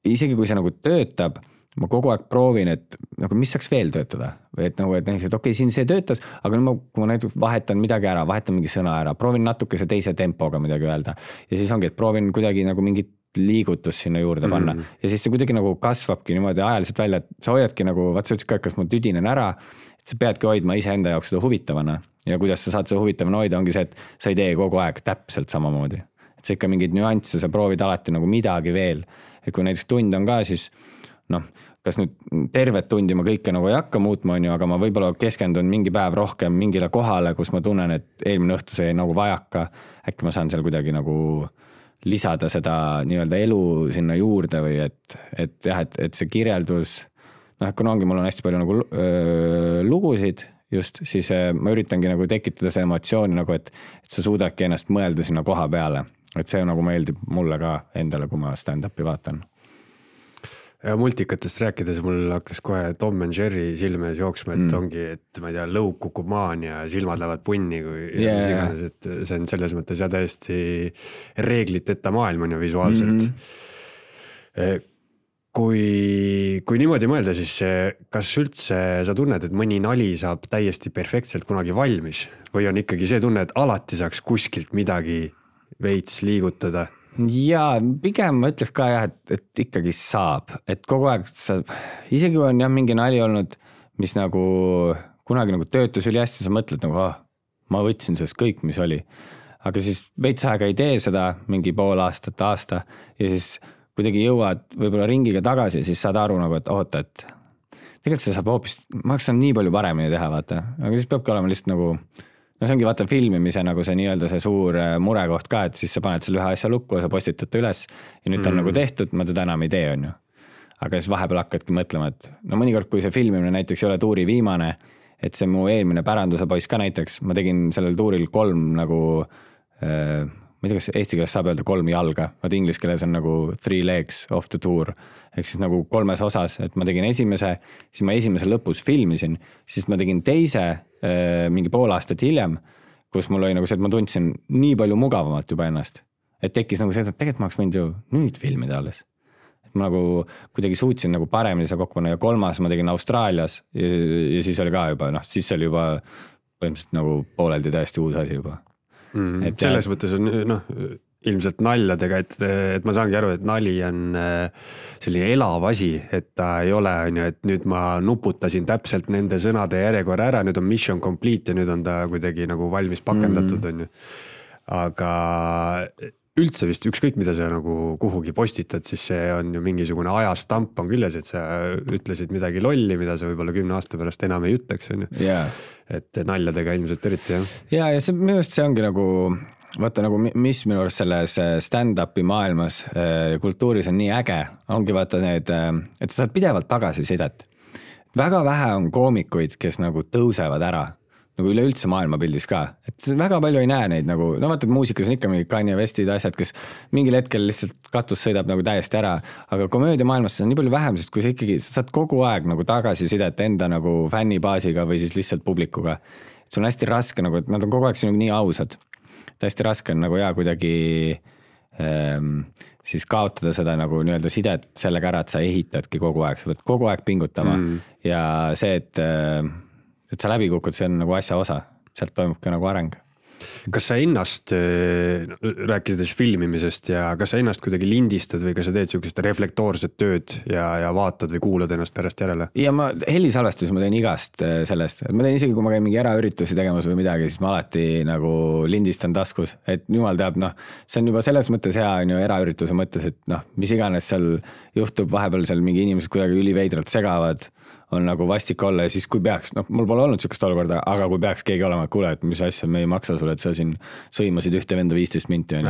isegi kui see nagu töötab, ma kogu aeg proovin, et nagu, mis saaks veel töötada või et nagu, et okei, siin see töötas, aga kui ma näiteks vahetan midagi ära, vahetan mingi sõna ära, proovin natukese teise tempoga midagi öelda ja siis ongi, et proovin kuidagi nagu mingit liigutust sinna juurde panna ja siis see kuidagi nagu kasvabki niimoodi ajaliselt välja, et sa hoiadki nagu, vaat sa ütlesid ka, kas ma tüdinen ära, et sa peadki hoidma iseenda jaoks seda huvitavana ja kuidas sa saad seda huvitavana hoida, ongi see, et sa ei tee kogu aeg täpselt samamoodi, et sa ikka mingid nüansse, sa proovid alati nagu midagi veel, et kui näiteks tund on ka, siis noh, kas nüüd tervet tundi ma kõike nagu ei hakka muutma, on ju, aga ma võib-olla keskendun mingi päev rohkem mingile kohale, kus ma tunnen, et eelmine õhtu see nagu vajaka, äkki ma saan seal kuidagi nagu lisada seda nii-öelda elu sinna juurde või et jah, et see kirjeldus, noh, kuna ongi, mul on hästi palju nagu lugusid just, siis ma üritangi nagu tekitada see emotsiooni nagu, et sa suudadki ennast mõelda sinna koha peale, et see nagu meeldib mulle ka endale, kui ma stand-up'i vaatan. Ja multikatest rääkides mul hakkas kohe Tom and Jerry silme ees jooksma, et ongi, et ma ei tea, lõug kukub maani ja silmad lähevad punni, kui mis iganes, et see on selles mõttes ja täiesti reegliteta maailm on ju visuaalselt. Kui niimoodi mõelda, siis kas üldse sa tunned, et mõni nali saab täiesti perfektselt kunagi valmis või on ikkagi see tunne, et alati saaks kuskilt midagi veits liigutada? Ja pigem ma ütleks ka jah, et ikkagi saab, et kogu aeg isegi kui on jah mingi nali olnud, mis nagu kunagi nagu töötus üli hästi, sa mõtled nagu, ma võtsin sellest kõik, mis oli. Aga siis veits aega ei tee seda mingi pool aastat, aasta ja siis kuidagi jõuad võib-olla ringiga tagasi, siis saad aru nagu, et oota, et tegelikult see saab hoopis, ma hakkan nii palju paremini teha, vaata, aga siis peabki olema lihtsalt nagu no see ongi vaata filmimise nagu see nii-öelda see suur murekoht ka, et siis sa paned selle ühe asja lukku ja sa postitad üles ja nüüd ta on nagu tehtud, ma teda enam ei tee, on ju. Aga siis vahepeal hakkadki mõtlema, et no mõnikord, kui see filmimine näiteks ei ole tuuri viimane, et see mu eelmine päranduse poiss ka näiteks, ma tegin sellel tuuril 3 nagu, ma ei tea, kas eesti keeles saab öelda 3 jalga, vaid inglise keeles on nagu 3 legs of the tour, ehk siis nagu 3 osas, et ma tegin esimese, siis ma esimese lõpus filmisin, siis ma tegin teise mingi pool aastat hiljem, kus mul oli nagu see, et ma tundsin nii palju mugavamalt juba ennast, et tekkis nagu see, et tegelikult ma oleks võinud ju nüüd filmida alles. Et ma nagu kuidagi suutsin nagu paremini seda kokku panna ja 3. ma tegin Austraalias ja siis oli ka juba, noh, siis oli juba põhimõtteliselt nagu pooleldi täiesti uus asi juba. Et selles mõttes on ilmselt naljadega, et ma saangi aru, et nali on selline elav asi, et ta ei ole, et nüüd ma nuputasin täpselt nende sõnade järjekorra ära, nüüd on mission complete ja nüüd on ta kuidagi nagu valmis pakendatud, on ju. Aga üldse vist ükskõik, mida sa nagu kuhugi postitad, siis see on ju mingisugune ajastamp on küljes, et sa ütlesid midagi lolli, mida sa võib-olla 10 aasta pärast enam ei ütleks, on ju. Et naljadega ilmselt eriti, jah. Ja see, minu arust see ongi nagu, vaata nagu, mis minu arust selles stand-upi maailmas kultuuris on nii äge, ongi vaata need, et sa saad pidevalt tagasisidet. Väga vähe on koomikuid, kes nagu tõusevad ära, nagu üleüldse maailmapildis ka, et väga palju ei näe neid nagu, no vaata, et muusikas on ikka mingi Kanye Westid asjad, kes mingil hetkel lihtsalt katus sõidab nagu täiesti ära, aga komöödia maailmas on nii palju vähem, sest kui sa ikkagi saad kogu aeg nagu tagasisidet enda nagu fännibaasiga või siis lihtsalt publikuga, et sul on hästi raske nagu, et nad on kogu aeg sinuga nii ausad, et hästi raske on nagu kuidagi siis kaotada seda nagu nii-öelda sidet sellega ära, et sa ehitadki kogu aeg, sa pead kogu aeg pingutama ja see, et sa läbi kukud, see on nagu asja osa, sealt toimub ka nagu areng. Kas sa ennast, rääkides filmimisest ja kas sa ennast kuidagi lindistad või kas sa teed sellist reflektoorset tööd ja vaatad või kuulad ennast pärast järele? Ja ma helisalvestusi ma teen igast sellest, et ma teen isegi, kui ma käin mingi eraüritusi tegemas või midagi, siis ma alati nagu lindistan taskus, et jumal teab, noh, see on juba selles mõttes hea on ju eraürituse mõttes, et noh, mis iganes seal juhtub, vahepeal seal mingi inimesed kuidagi üliveidralt segavad, on nagu vastik olla ja siis kui peaks, noh, mul pole olnud sellist olukorda, aga kui peaks keegi olema, et kuule, et mis asja me ei maksa sulle, et sa siin sõimasid ühte venda 15 minti,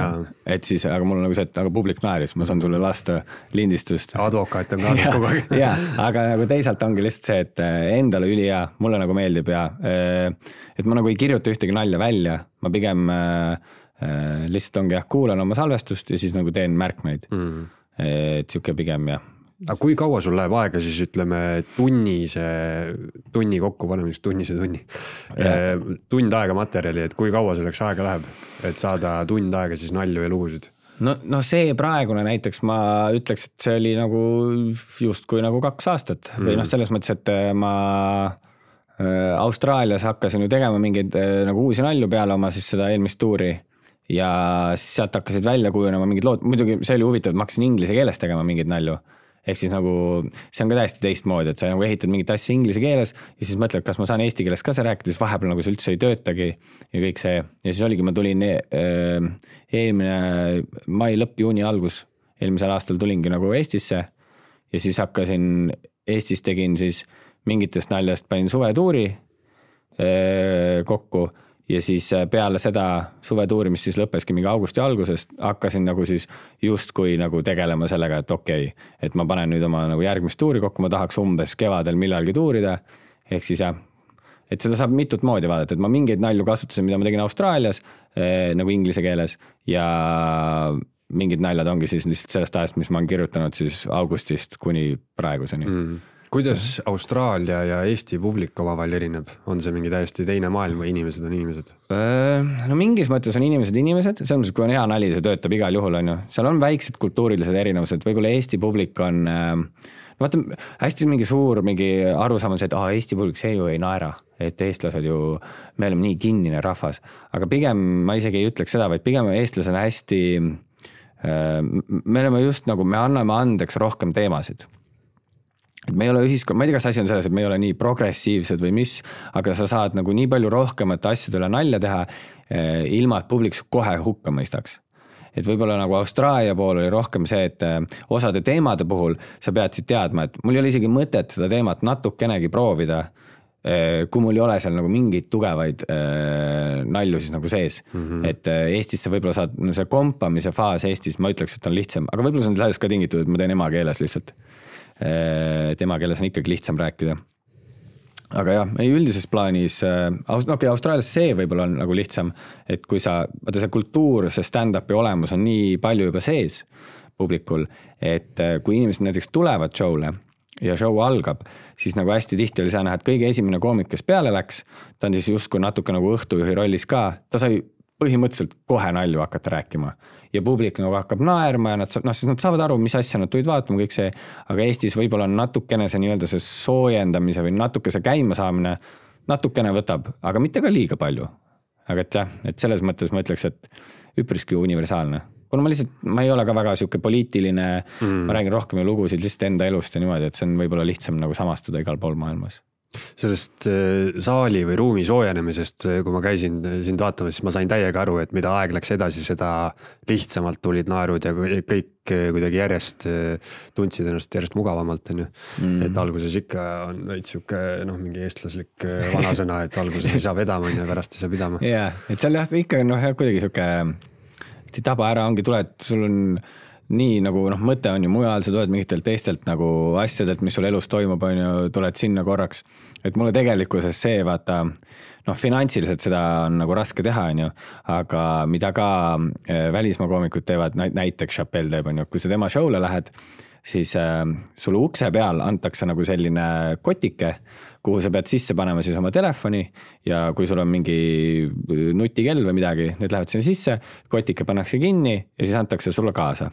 et siis, aga mul on nagu see, et aga publik naeris, ma saan sulle lasta lindistust. Advokaat on kaasas kogu aeg. Ja, aga nagu teisalt ongi lihtsalt see, et endale üli hea, mulle nagu meeldib ja et ma nagu ei kirjuta ühtegi nalja välja, ma pigem lihtsalt ongi kuulan oma salvestust ja siis nagu teen märkmeid. Et siuke pigem jah. Aga kui kaua sul läheb aega siis ütleme tunni kokku panemiseks, tund aega materjali, et kui kaua selleks aega läheb, et saada tund aega siis nalju ja lugusid? No see praegune näiteks ma ütleks, et see oli nagu justkui nagu 2 aastat või noh, selles mõttes, et ma Austraalias hakkasin ju tegema mingeid nagu uusi nalju peale oma siis seda eelmist tuuri ja siis sealt hakkasid välja kujunema mingid lood, muidugi see oli huvitav, et ma hakkasin inglise keeles tegema mingeid nalju. Ehk siis nagu, see on ka täiesti teistmoodi, et sa nagu ehitad mingit asja inglise keeles ja siis mõtled, kas ma saan eesti keeles ka see rääkida, siis vahepeal nagu see üldse ei töötagi ja kõik see. Ja siis oligi, ma tulin eelmine mai lõpp, juuni algus, eelmisel aastal tulingi nagu Eestisse ja siis hakkasin, Eestis tegin siis mingitest naljast, panin suvetuuri kokku ja siis peale seda suvetuuri, mis siis lõppeski mingi augusti algusest, hakkasin nagu siis justkui nagu tegelema sellega, et okei, et ma panen nüüd oma nagu järgmist tuuri kokku, ma tahaks umbes kevadel millalgi tuurida, ehk siis jah, et seda saab mitut moodi vaadata, et ma mingeid nalju kasutasin, mida ma tegin Austraalias nagu inglise keeles ja mingid naljad ongi siis lihtsalt sellest ajast, mis ma olen kirjutanud siis augustist kuni praeguseni. Kuidas Austraalia ja Eesti publik omavahel erineb? On see mingi täiesti teine maailm või inimesed on inimesed? No mingis mõttes on inimesed, selles mõttes, kui on hea nali, see töötab igal juhul, on ju. Seal on väiksed kultuurilised erinevused, võib-olla Eesti publik on, no vaata, hästi mingi suur mingi arusaam on see, et Eesti publik, see ju ei naera, et eestlased ju, me oleme nii kinnine rahvas, aga pigem ma isegi ei ütleks seda, vaid pigem eestlased on hästi, me oleme just nagu, me anname andeks rohkem teemasid. Et me ei ole ühiskond, ma ei tea, kas asi on selles, et me ei ole nii progressiivsed või mis, aga sa saad nagu nii palju rohkemat asjade üle nalja teha, ilma et publik kohe hukka mõistaks. Et võib-olla nagu Austraalia pool oli rohkem see, et osade teemade puhul sa pead siit teadma, et mul ei ole isegi mõtet seda teemat natukenegi proovida, kui mul ei ole seal nagu mingeid tugevaid nalju siis nagu sees. Et Eestis sa võib-olla saad, no see kompamise faas Eestis, ma ütleks, et on lihtsam, aga võib-olla see on sellest ka tingitud, et ma teen emakeeles lihtsalt. Tema keeles on ikkagi lihtsam rääkida. Aga jah, ei üldises plaanis, Austraalias see võib-olla on nagu lihtsam, et kui sa, vaata see kultuur, see stand-upi olemus on nii palju juba sees publikul, et kui inimesed näiteks tulevad show'le ja show algab, siis nagu hästi tihti oli sa näha, et kõige esimene koomik, kes peale läks, ta on siis justkui natuke nagu õhtujuhi rollis ka, ta sai põhimõtteliselt kohe nalju hakata rääkima ja publik nagu hakkab naerma ja siis nad saavad aru, mis asja nad tulid vaatama, kõik see, aga Eestis võib-olla on natukene see nii-öelda see soojendamise või natuke see käima saamine natukene võtab, aga mitte ka liiga palju. Aga et jah, et selles mõttes ma ütleks, et üpriski universaalne. Kuna ma ei ole ka väga siuke poliitiline, ma räägin rohkem lugusid lihtsalt enda elust ja niimoodi, et see on võib-olla lihtsam nagu samastuda igal pool maailmas. Sellest saali või ruumi soojenemisest, kui ma käisin sind vaatamas, siis ma sain täiega aru, et mida aeg läks edasi, seda lihtsamalt tulid naerud ja kõik kuidagi järjest tundsid ennast järjest mugavamalt. Et alguses ikka on veits siuke mingi eestlaslik vanasõna, et alguses ei saa vedama ja pärast ei saa pidama. Jaa, et seal jah, ikka kuidagi siuke taba ära ongi, tuled, sul on nii nagu mõte on ju mujal, sa tuled mingitelt teistelt nagu asjadelt, mis sul elus toimub, on ju, tuled sinna korraks. Et mulle tegelikkuses see, vaata, finantsiliselt seda on nagu raske teha, on ju, aga mida ka välismaa koomikud teevad, näiteks Chappelle teeb, on ju, kui sa tema show'le lähed, siis sulle ukse peal antakse nagu selline kotike, kuhu sa pead sisse panema siis oma telefoni ja kui sul on mingi nutikell või midagi, need lähevad sinna sisse, kotike pannakse kinni ja siis antakse sulle kaasa.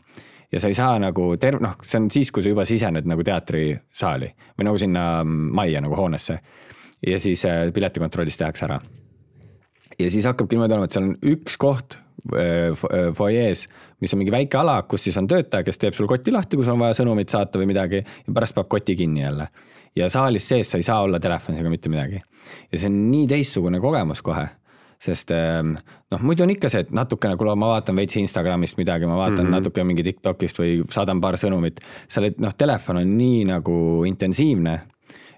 Ja sa ei saa nagu see on siis, kui sa juba sisened nagu teatrisaali või nagu sinna majja nagu hoonesse ja siis piletikontrollis tehakse ära. Ja siis hakkabki niimoodi olema, et seal on üks koht foyees, mis on mingi väike ala, kus siis on töötaja, kes teeb sul kotti lahti, kui sul on vaja sõnumit saata või midagi ja pärast peab koti kinni jälle. Ja saalis sees sa ei saa olla telefonis ega mitte midagi. Ja see on nii teistsugune kogemus kohe, sest muidu on ikka see, et natukene, kui ma vaatan veits Instagramist midagi, ma vaatan natuke mingi TikTokist või saadan paar sõnumit, telefon on nii nagu intensiivne,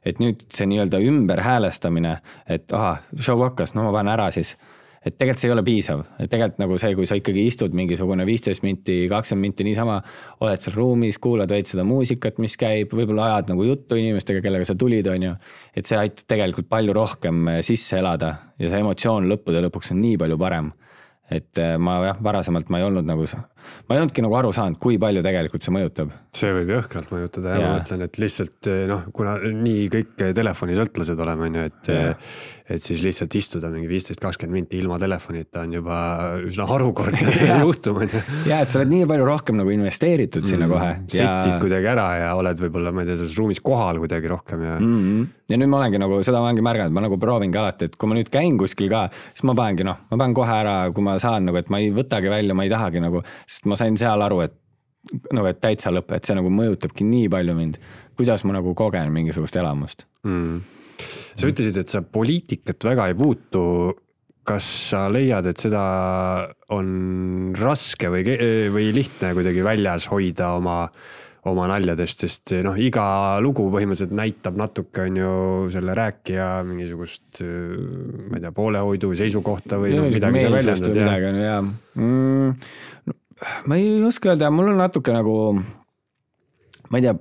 et nüüd see nii-öelda ümber häälestamine, et show hakkas, ma panen ära siis. Et tegelikult see ei ole piisav, et tegelikult nagu see, kui sa ikkagi istud mingisugune 15 minti, 20 minti niisama, oled seal ruumis, kuulad veid seda muusikat, mis käib, võib-olla ajad nagu juttu inimestega, kellega sa tulid, on ju, et see aitab tegelikult palju rohkem sisse elada ja see emotsioon lõppude lõpuks on nii palju parem. Et varasemalt ma ei olnudki nagu aru saanud, kui palju tegelikult see mõjutab. See võib jõhkralt mõjutada ja ma mõtlen, et lihtsalt kuna nii kõik telefoni sõltlased oleme, et siis lihtsalt istuda mingi 15-20 minti ilma telefonita on juba üsna harukordne juhtum. Ja, et sa oled nii palju rohkem nagu investeeritud sinna kohe. Setid kuidagi ära ja oled võib-olla, ma ei tea, selles ruumis kohal kuidagi rohkem. Ja nüüd ma olengi nagu, seda ma olengi märganud, ma nagu proovingi alati, et kui ma nüüd käin kuskil ka, siis ma panen kohe ära, kui ma saan nagu, et ma ei võtagi välja, ma ei tahagi nagu, sest ma sain seal aru, et täitsa lõpp, et see nagu mõjutabki nii palju mind, kuidas ma nagu kogen mingisugust elamust. Sa ütlesid, et sa poliitikat väga ei puutu. Kas sa leiad, et seda on raske või lihtne kuidagi väljas hoida oma naljadest, sest noh, iga lugu põhimõtteliselt näitab natuke on ju selle rääkija mingisugust, ma ei tea, poolehoidu või seisukohta või midagi sa väljendad. Midagi on, jaa. Ma ei oska öelda, mul on natuke nagu, ma ei tea,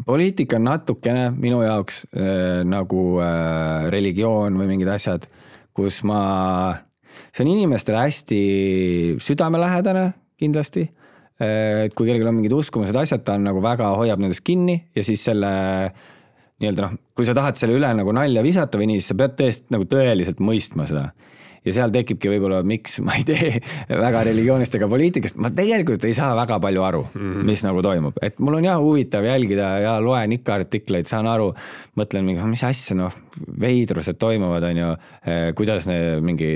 poliitika on natukene minu jaoks nagu religioon või mingid asjad, kus see on inimestele hästi südamelähedane kindlasti, et kui kellelgi on mingid uskumused asjad, ta on nagu väga hoiab nendest kinni ja siis selle nii-öelda noh, kui sa tahad selle üle nagu nalja visata või nii, siis sa pead tõesti nagu tõeliselt mõistma seda. Ja seal tekibki võib-olla, miks ma ei tee väga religioonist ega poliitikast, ma tegelikult ei saa väga palju aru, mis nagu toimub. Et mul on huvitav jälgida ja loen ikka artikleid, saan aru, mõtlen, mis asja, noh, veidrused toimuvad, on ju, kuidas mingi,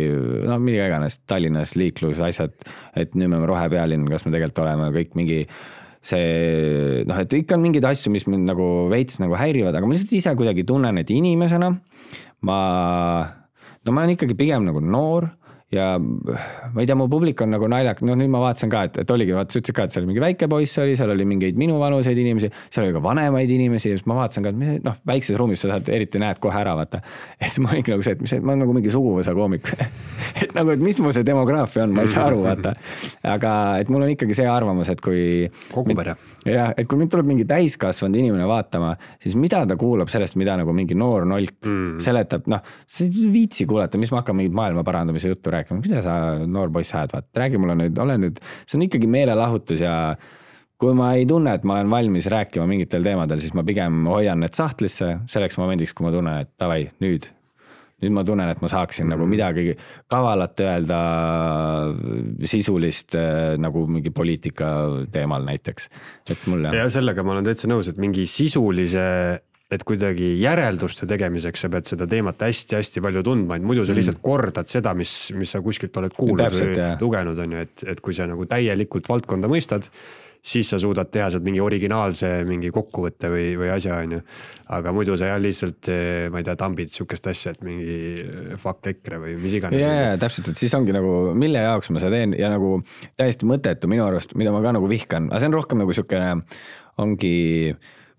no midagi iganes, Tallinnas liiklus asjad, et nüüd me rohepealinn, kas me tegelikult oleme kõik mingi see, noh, et ikka on mingid asju, mis mind nagu veits nagu häirivad, aga ma lihtsalt ise kuidagi tunnen, et inimesena ma olen ikkagi pigem nagu noor ja ma ei tea, mu publik on nagu naljak, no nüüd ma vaatasin ka, et oligi, sa ütlesid ka, et seal mingi väike poiss oli, seal oli mingeid minu vanuseid inimesi, seal oli ka vanemaid inimesi ja siis ma vaatasin ka, et noh, väikses ruumis sa saad, eriti näed kohe ära, vaata. Et siis ma olin nagu see, et ma olen nagu mingi suguvõsa koomik. Et nagu, et mis mu see demograafia on, ma ei saa aru, vaata. Aga et mul on ikkagi see arvamus, et kui kogupere. Ja, et kui nüüd tuleb mingi täiskasvanud inimene vaatama, siis mida ta kuulab sellest, mida nagu mingi noor nolk seletab, noh, see viitsi kuulata, mis ma hakkan mingit maailma parandamise juttu rääkima, mida sa noor poiss ajad, vaat, räägi mulle nüüd, see on ikkagi meelelahutus ja kui ma ei tunne, et ma olen valmis rääkima mingitel teemadel, siis ma pigem hoian need sahtlisse selleks momendiks, kui ma tunnen, et davai, nüüd ma tunnen, et ma saaksin nagu midagi kavalat öelda sisulist nagu mingi poliitika teemal näiteks. Et mul ja sellega ma olen täitsa nõus, et mingi sisulise, et kuidagi järelduste tegemiseks sa pead seda teemat hästi-hästi palju tundma, et muidu sa lihtsalt kordad seda, mis sa kuskilt oled kuulnud täpselt, või lugenud, on ju, et kui sa nagu täielikult valdkonda mõistad, siis sa suudad teha sealt mingi originaalse mingi kokkuvõtte või asja, on ju. Aga muidu sa lihtsalt, ma ei tea, tambid sükest asja, et mingi fuck EKRE või mis iganes. Ja, täpselt, et siis ongi nagu, mille jaoks ma seda teen ja nagu täiesti mõttetu minu arust, mida ma ka nagu vihkan. Aga see on rohkem nagu sükene, ongi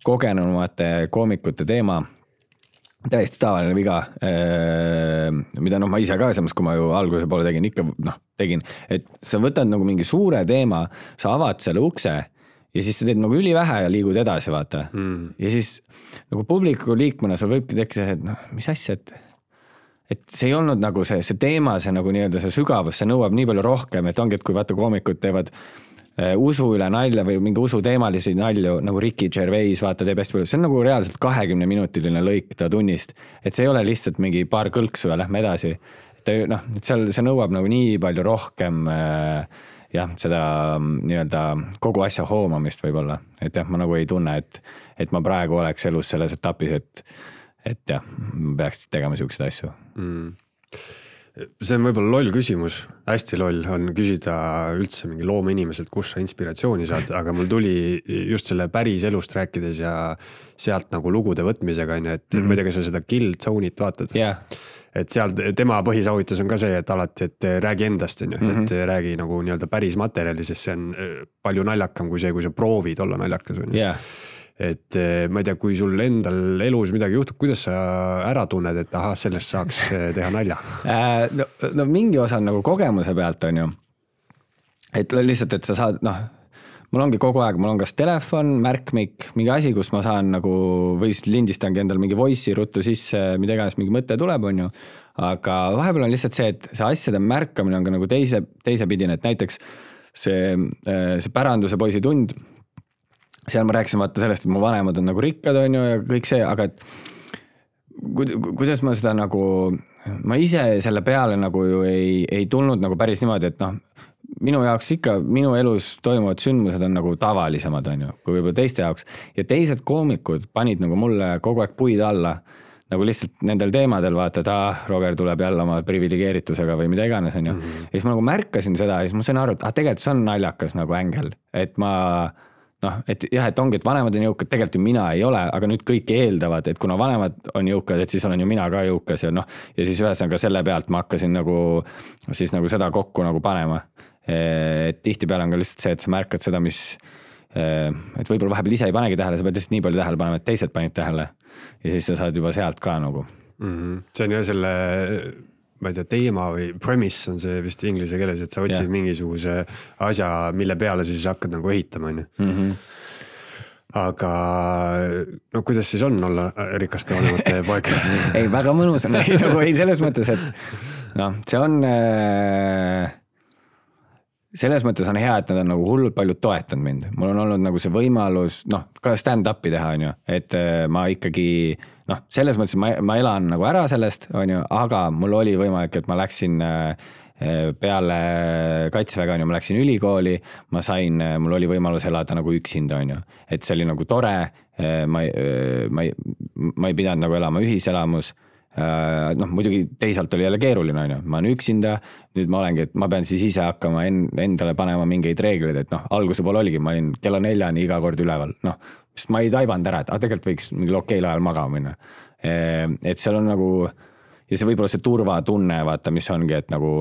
kogenumate koomikute teema. Täiesti tavaline viga, mida ma ise ka samas, kui ma ju alguse poole tegin, ikka tegin, et sa võtad nagu mingi suure teema, sa avad selle ukse ja siis sa teed nagu ülivähe ja liigud edasi, vaata. Ja siis nagu publiku liikmena sul võibki tekkida, et mis asja, et see ei olnud nagu see teema, see nagu nii-öelda see sügavus, see nõuab nii palju rohkem, et ongi, et kui vaata koomikud teevad usu üle nalja või mingi usu teemalisi nalju, nagu Ricky Gervais, vaata, teeb hästi palju. See on nagu reaalselt 20-minutiline lõik ta tunnist. Et see ei ole lihtsalt mingi paar kõlksu ja lähme edasi. Et seal see nõuab nagu nii palju rohkem seda nii-öelda kogu asja hoomamist võib-olla. Et jah, ma nagu ei tunne, et ma praegu oleks elus selles etapis, et jah, ma peaks tegema siukseid asju. See on võib-olla loll küsimus, hästi loll on küsida üldse mingi loomeinimiselt, kus sa inspiratsiooni saad, aga mul tuli just selle päris elust rääkides ja sealt nagu lugude võtmisega, et ma ei tea, kas sa seda Kill Zone'it vaatad. Yeah. Et seal tema põhisauhitus on ka see, et alati, et räägi endast, et räägi nagu nii-öelda päris materjali, sest see on palju naljakam kui see, kui sa proovid olla naljakas. Yeah. Et ma ei tea, kui sul endal elus midagi juhtub, kuidas sa ära tunned, et aha, sellest saaks teha nalja? No mingi osa nagu kogemuse pealt on ju, et lihtsalt, et sa saad, mul ongi kogu aeg, mul on kas telefon, märkmik, mingi asi, kus ma saan nagu, või lindistangi endal mingi voice'i ruttu sisse, mida iganes mingi mõte tuleb, on ju, aga vahepeal on lihtsalt see, et see asjade märkamine on ka nagu teise pidine, et näiteks see päranduse poisi tund, seal ma rääkisin vaata sellest, et mu vanemad on nagu rikkad, on ju, ja kõik see, aga et kuidas ma seda nagu, ma ise selle peale nagu ju ei tulnud nagu päris niimoodi, et minu jaoks ikka, minu elus toimuvad sündmused on nagu tavalisemad, on ju, kui võib-olla teiste jaoks. Ja teised koomikud panid nagu mulle kogu aeg puid alla, nagu lihtsalt nendel teemadel vaata, et Roger tuleb jälle oma privilegeeritusega või mida iganes, on ju. Ja siis ma nagu märkasin seda ja siis ma sain aru, et tegelikult see on naljakas nagu ängel, et ma et jah, et ongi, et vanemad on jõukad, tegelikult ju mina ei ole, aga nüüd kõik eeldavad, et kuna vanemad on jõukad, et siis olen ju mina ka jõukas ja ja siis ühesõnaga selle pealt ma hakkasin nagu siis nagu seda kokku nagu panema. Et tihtipeale on ka lihtsalt see, et sa märkad seda, mis et võib-olla vahepeal ise ei panegi tähele, sa pead lihtsalt nii palju tähele panema, et teised panid tähele ja siis sa saad juba sealt ka nagu. See on jah selle, ma ei tea, teema või premise on see vist inglise keeles, et sa otsid mingisuguse asja, mille peale siis hakkad nagu ehitama, on. Aga no kuidas siis on olla rikaste vanemate poeg? Ei, väga mõnus on, nagu ei selles mõttes, et noh, see on... Selles mõttes on hea, et nad on nagu hullult palju toetanud mind. Mul on olnud nagu see võimalus, noh, ka stand-up'i teha, on ju, et ma ikkagi, noh, selles mõttes ma elan nagu ära sellest, on ju, aga mul oli võimalik, et ma läksin peale kaitseväega, on ju, ma läksin ülikooli, mul oli võimalus elada nagu üksinda, on ju, et see oli nagu tore, ma ei pidanud nagu elama ühiselamus. Noh, muidugi teisalt oli jälle keeruline, on ju, ma olen üksinda, nüüd ma olengi, et ma pean siis ise hakkama endale panema mingeid reegleid, et noh, alguse pool oligi, ma olin kella 4 iga kord üleval, noh, sest ma ei taibanud ära, et tegelikult võiks mingil okeil ajal magama minna. Et seal on nagu, ja see võib-olla see turvatunne, vaata, mis ongi, et nagu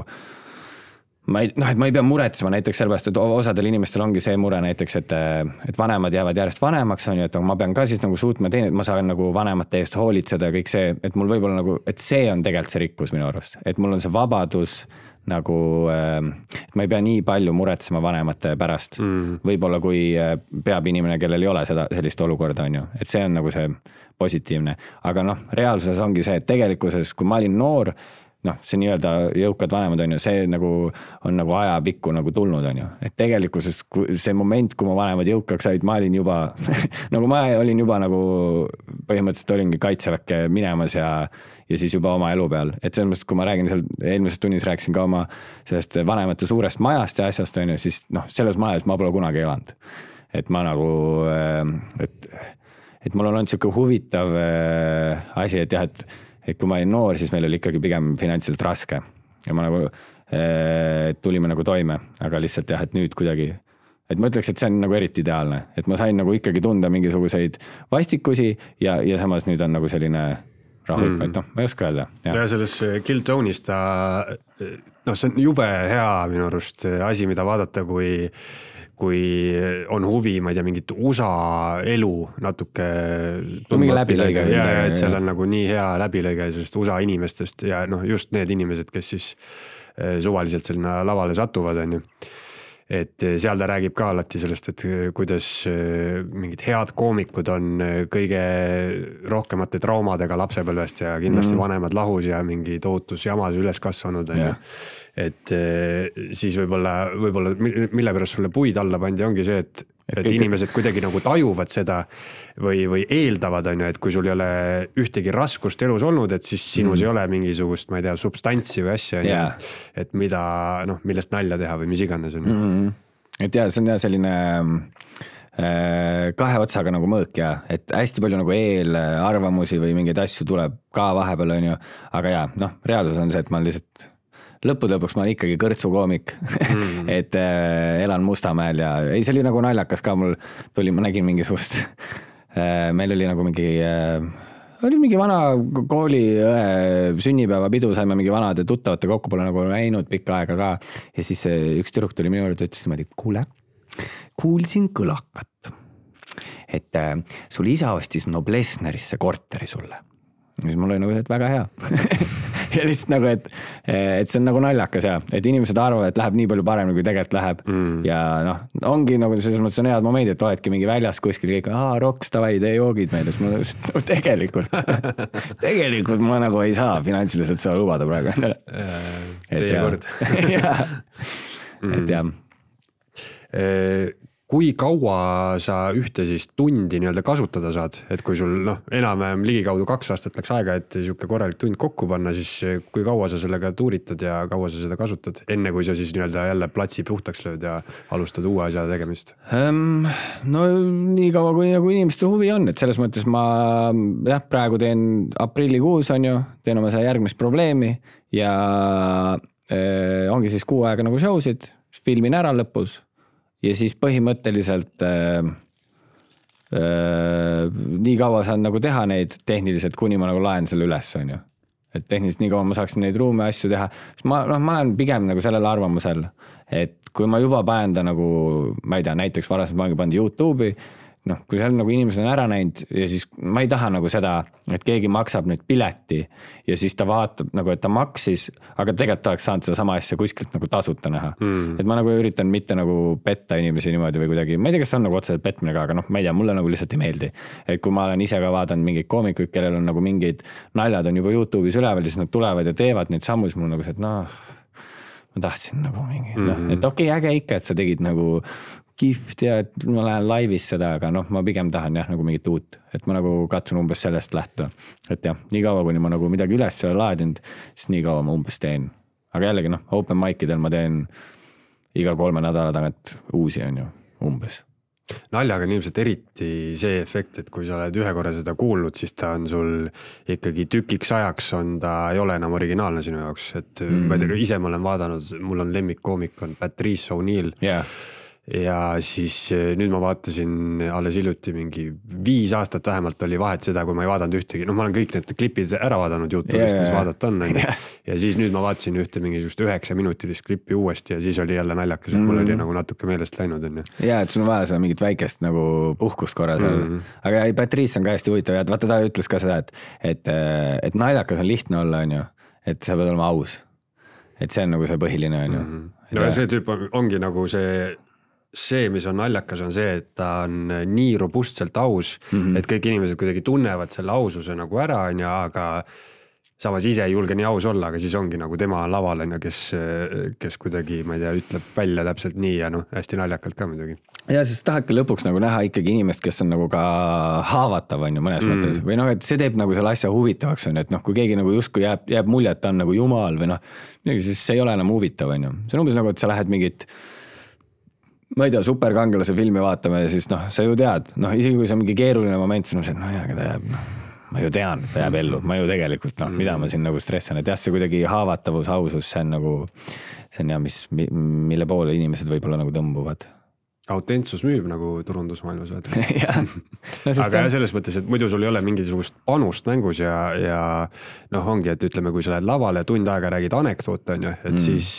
ma ei pea muretsema näiteks sellepärast, et osadel inimestel ongi see mure näiteks, et vanemad jäävad järjest vanemaks, on ju, et ma pean ka siis nagu suutma teine, et ma saan nagu vanemate eest hoolitseda ja kõik see, et mul võib-olla nagu, et see on tegelikult see rikkus minu arust, et mul on see vabadus nagu, et ma ei pea nii palju muretsema vanemate pärast. Võib-olla kui peab inimene, kellel ei ole sellist olukorda, on ju, et see on nagu see positiivne. Aga noh, reaalsuses ongi see, et tegelikkuses, kui ma olin noor, noh, see nii-öelda jõukad vanemad, on ju, see nagu on nagu ajapikku nagu tulnud, on ju. Et tegelikkuses see moment, kui ma vanemad jõukaks said, ma olin juba, nagu ma olin juba nagu põhimõtteliselt olingi kaitseväkke minemas ja siis juba oma elu peal. Et selles mõttes, kui ma räägin seal, eelmises tunnis rääkisin ka oma sellest vanemate suurest majast ja asjast, on ju, siis noh, selles majas ma pole kunagi elanud. Et ma nagu, et mul on olnud selline huvitav asi, et jah, et kui ma olin noor, siis meil oli ikkagi pigem finantsiliselt raske ja ma nagu tulime nagu toime, aga lihtsalt jah, et nüüd kuidagi, et ma ütleks, et see on nagu eriti ideaalne, et ma sain nagu ikkagi tunda mingisuguseid vastikusi ja samas nüüd on nagu selline rahulik, et noh, ma ei oska öelda. Ja selles Kill Tone'is ta, noh, see on jube hea minu arust asi, mida vaadata, kui on huvi, ma ei tea, mingit USA elu natuke mingi läbilõige. Ja, et seal on nagu nii hea läbilõige sellest USA inimestest ja noh, just need inimesed, kes siis suvaliselt selline lavale satuvad, on ju. Et seal ta räägib ka alati sellest, et kuidas mingid head koomikud on kõige rohkemate traumadega lapsepõlvest ja kindlasti vanemad lahus ja mingi tootus jamas üles kasvanud, on ju. Et siis võib-olla mille pärast sulle puid alla pandi ongi see, et inimesed kuidagi nagu tajuvad seda või eeldavad, on ju, et kui sul ei ole ühtegi raskust elus olnud, et siis sinus ei ole mingisugust, ma ei tea, substantsi või asja, et mida, noh, millest nalja teha või mis iganes on. Et jah, see on jah selline kahe otsaga nagu mõõk ja, et hästi palju nagu eelarvamusi või mingeid asju tuleb ka vahepeal, on ju, aga jah, noh, reaalsus on see, et ma lihtsalt lõpuks ma olen ikkagi kõrtsukoomik, et elan Mustamäel ja ei, see oli nagu naljakas ka, mul tuli, ma nägin mingisugust, meil oli nagu mingi vana kooli sünnipäevapidu, saime mingi vanade tuttavate kokku, pole nagu näinud pikka aega ka ja siis üks tüdruk tuli minu juurde, ütles niimoodi, kuule, kuulsin kõlakat, et sul isa ostis Noblessnerisse korteri sulle. Ja siis mul oli nagu, et väga hea. Ja lihtsalt nagu, et see on nagu naljakas ja, et inimesed arvavad, et läheb nii palju paremini, kui tegelikult läheb. Ja noh, ongi nagu selles mõttes on head momendid, et oledki mingi väljas kuskil kõik, roks, tavai, tee joogid meid. No, tegelikult ma nagu ei saa finantsiliselt seda lubada praegu. Teie kord. Et jah. Kui kaua sa ühte siis tundi nii-öelda kasutada saad, et kui sul enam ligikaudu 2 aastat läks aega, et siuke korralik tund kokku panna, siis kui kaua sa sellega tuuritad ja kaua sa seda kasutad, enne kui sa siis nii-öelda jälle platsi puhtaks lööd ja alustad uue asja tegemist? No nii kaua, kui nagu inimestel huvi on, et selles mõttes ma praegu teen aprillikuus, on ju, teen oma järgmist probleemi ja ongi siis 6 aega nagu showsid, filmin ära lõpus. Ja siis põhimõtteliselt nii kaua saan nagu teha neid tehniliselt, kuni ma nagu laen selle üles, on ju. et tehniliselt nii kaua ma saaksin neid ruume asju teha, siis ma olen pigem nagu sellel arvamusel, et kui ma juba panen ta nagu, ma ei tea, näiteks varasemalt ma olen pannud YouTube'i, noh, kui seal nagu inimesed on ära näinud ja siis ma ei taha nagu seda, et keegi maksab nüüd pileti ja siis ta vaatab nagu, et ta maksis, aga tegelikult oleks saanud seda sama asja kuskilt nagu tasuta näha. Et ma nagu üritan mitte nagu petta inimesi niimoodi või kuidagi, ma ei tea, kas see on nagu otseselt petmine ka, aga noh, ma ei tea, mulle nagu lihtsalt ei meeldi. Et kui ma olen ise ka vaadanud mingeid koomikuid, kellel on nagu mingid naljad on juba YouTube'is üleval ja siis nad tulevad ja teevad neid sammu, siis mul nagu see, et noh, ma tahtsin nagu mingi, et okei, äge ikka, et sa tegid nagu kihvt ja et ma lähen laivis seda, aga noh, ma pigem tahan jah nagu mingit uut, et ma nagu katsun umbes sellest lähtuda, et jah, nii kaua, kuni ma nagu midagi üles ei ole laadinud, siis nii kaua ma umbes teen, aga jällegi noh, open mic'idel ma teen iga 3 nädala tagant uusi on ju, umbes. Naljaga on ilmselt eriti see efekt, et kui sa oled ühe korra seda kuulnud, siis ta on sul ikkagi tükiks ajaks ta ei ole enam originaalne sinu jaoks, et ma ei tea, ise ma olen vaadanud, mul on lemmikkoomik on Patrice O'Neill. Ja siis nüüd ma vaatasin alles hiljuti mingi 5 aastat vähemalt oli vahet seda, kui ma ei vaadanud ühtegi, noh ma olen kõik need klipid ära vaadanud YouTube'ist, mis vaadata on. Ja siis nüüd ma vaatasin ühte mingisugust 9-minutilist klippi uuesti ja siis oli jälle naljakas, et mul oli nagu natuke meelest läinud. Ja, et sul on vaja seda mingit väikest nagu puhkust korra seal. Aga Patrice on ka hästi huvitav ja vaata ta ütles ka seda, et naljakas on lihtne olla, on ju, et sa pead olema aus. Et see on nagu see põhiline, on ju. No ja see tüüp ongi nagu see, mis on naljakas, on see, et ta on nii robustselt aus, et kõik inimesed kuidagi tunnevad selle aususe nagu ära, on ja, aga samas ise ei julge nii aus olla, aga siis ongi nagu tema laval, on ja, kes kuidagi, ma ei tea, ütleb välja täpselt nii ja noh, hästi naljakalt ka muidugi. Ja siis tahadki lõpuks nagu näha ikkagi inimest, kes on nagu ka haavatav, on ju, mõnes mõttes. Või noh, et see teeb nagu selle asja huvitavaks, on, et noh, kui keegi nagu justkui jääb mulje, et ta on nagu jumal või noh, siis see ei ole enam huvitav, on ju. See on umbes nagu, et sa lähed mingit ma ei tea, superkangelase filmi vaatame ja siis noh, sa ju tead, noh, isegi kui see on mingi keeruline moment, siis no see, no jah, ta jääb, noh, ma ju tean, et ta jääb ellu, ma ju tegelikult, noh, mida ma siin nagu stressan, et jah, see kuidagi haavatavus, ausus, see on nagu, see on jah, mille poole inimesed võib-olla nagu tõmbuvad. Autentsus müüb nagu turundusmaailmas. No, aga selles mõttes, et muidu sul ei ole mingisugust panust mängus ja noh, ongi, et ütleme, kui sa lähed lavale ja tund aega räägid anekdoote, on ju, et siis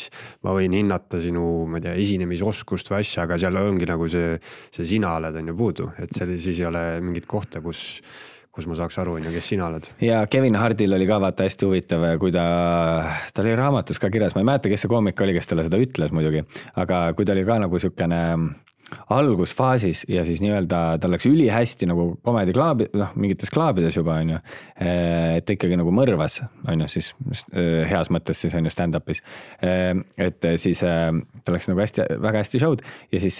ma võin hinnata sinu, ma ei tea, esinemisoskust või asja, aga seal ongi nagu see sina oled on ju puudu, et siis ei ole mingit kohta, kus ma saaks aru, kes sina oled. Ja Kevin Hardil oli ka vaata hästi huvitav, kui ta oli raamatus ka kirjas, ma ei mäleta, kes see koomik oli, kes talle seda ütles muidugi, aga kui ta oli ka nagu sükene algusfaasis ja siis nii-öelda tal läks ülihästi nagu komediklaabi, noh, mingites klaabides juba, on ju, et ikkagi nagu mõrvas, on ju, siis heas mõttes siis on ju stand-upis, et siis ta läks nagu hästi, väga hästi show'd ja siis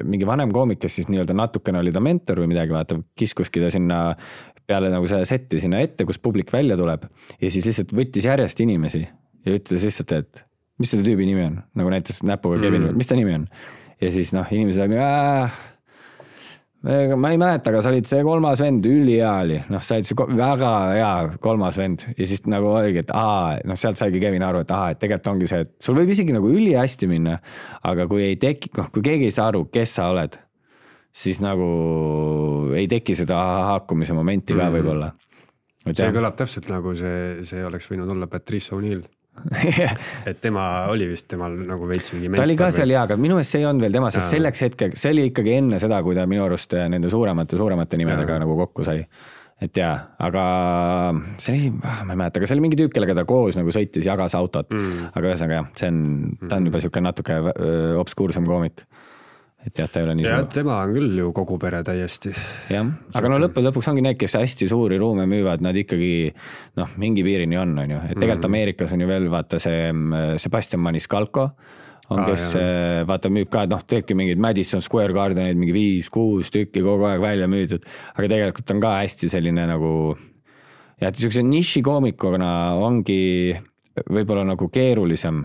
mingi vanem koomik, kes siis nii-öelda natukene oli ta mentor või midagi, vaata, kiskuski ta sinna peale nagu see setti sinna ette, kus publik välja tuleb ja siis lihtsalt võttis järjest inimesi ja ütles lihtsalt, et mis selle tüübi nimi on, nagu näitas näpuga Kevin, mis ta nimi on? Ja siis noh, inimesed ma ei mäleta, aga sa olid see 3. vend ülihea, noh, sa olid see väga hea 3. vend ja siis nagu oligi, et noh, sealt saigi Kevin aru, et et tegelikult ongi see, et sul võib isegi nagu ülihästi minna, aga kui ei teki, noh, kui keegi ei saa aru, kes sa oled, siis nagu ei teki seda haakumise momenti ka võib-olla. See kõlab täpselt nagu see oleks võinud olla Patrice O'Neill. Et tema oli vist temal nagu veits mingi mentor. Ta oli ka seal jaa, aga minu eest see ei olnud veel tema, sest selleks hetkeks, see oli ikkagi enne seda, kui ta minu arust nende suuremate nimedega nagu kokku sai. Et jaa, aga see oli, ma ei mäleta, aga see oli mingi tüüp, kellega ta koos nagu sõitis, jagas autot, aga ühesõnaga jah, ta on juba siuke natuke obskuursem koomik. Et jah, ta ei ole nii suur. Tema on küll ju kogu pere täiesti. Jah, aga no lõpuks ongi need, kes hästi suuri ruume müüvad, nad ikkagi noh, mingi piirini on ju. Et tegelikult Ameerikas on ju veel vaata see Sebastian Maniscalco, on kes vaata müüb ka, noh, teebki mingid Madison Square Gardenid, mingi 5-6 tükki kogu aeg välja müüdud, aga tegelikult on ka hästi selline nagu ja et niisuguse niši koomikuna ongi võib-olla nagu keerulisem.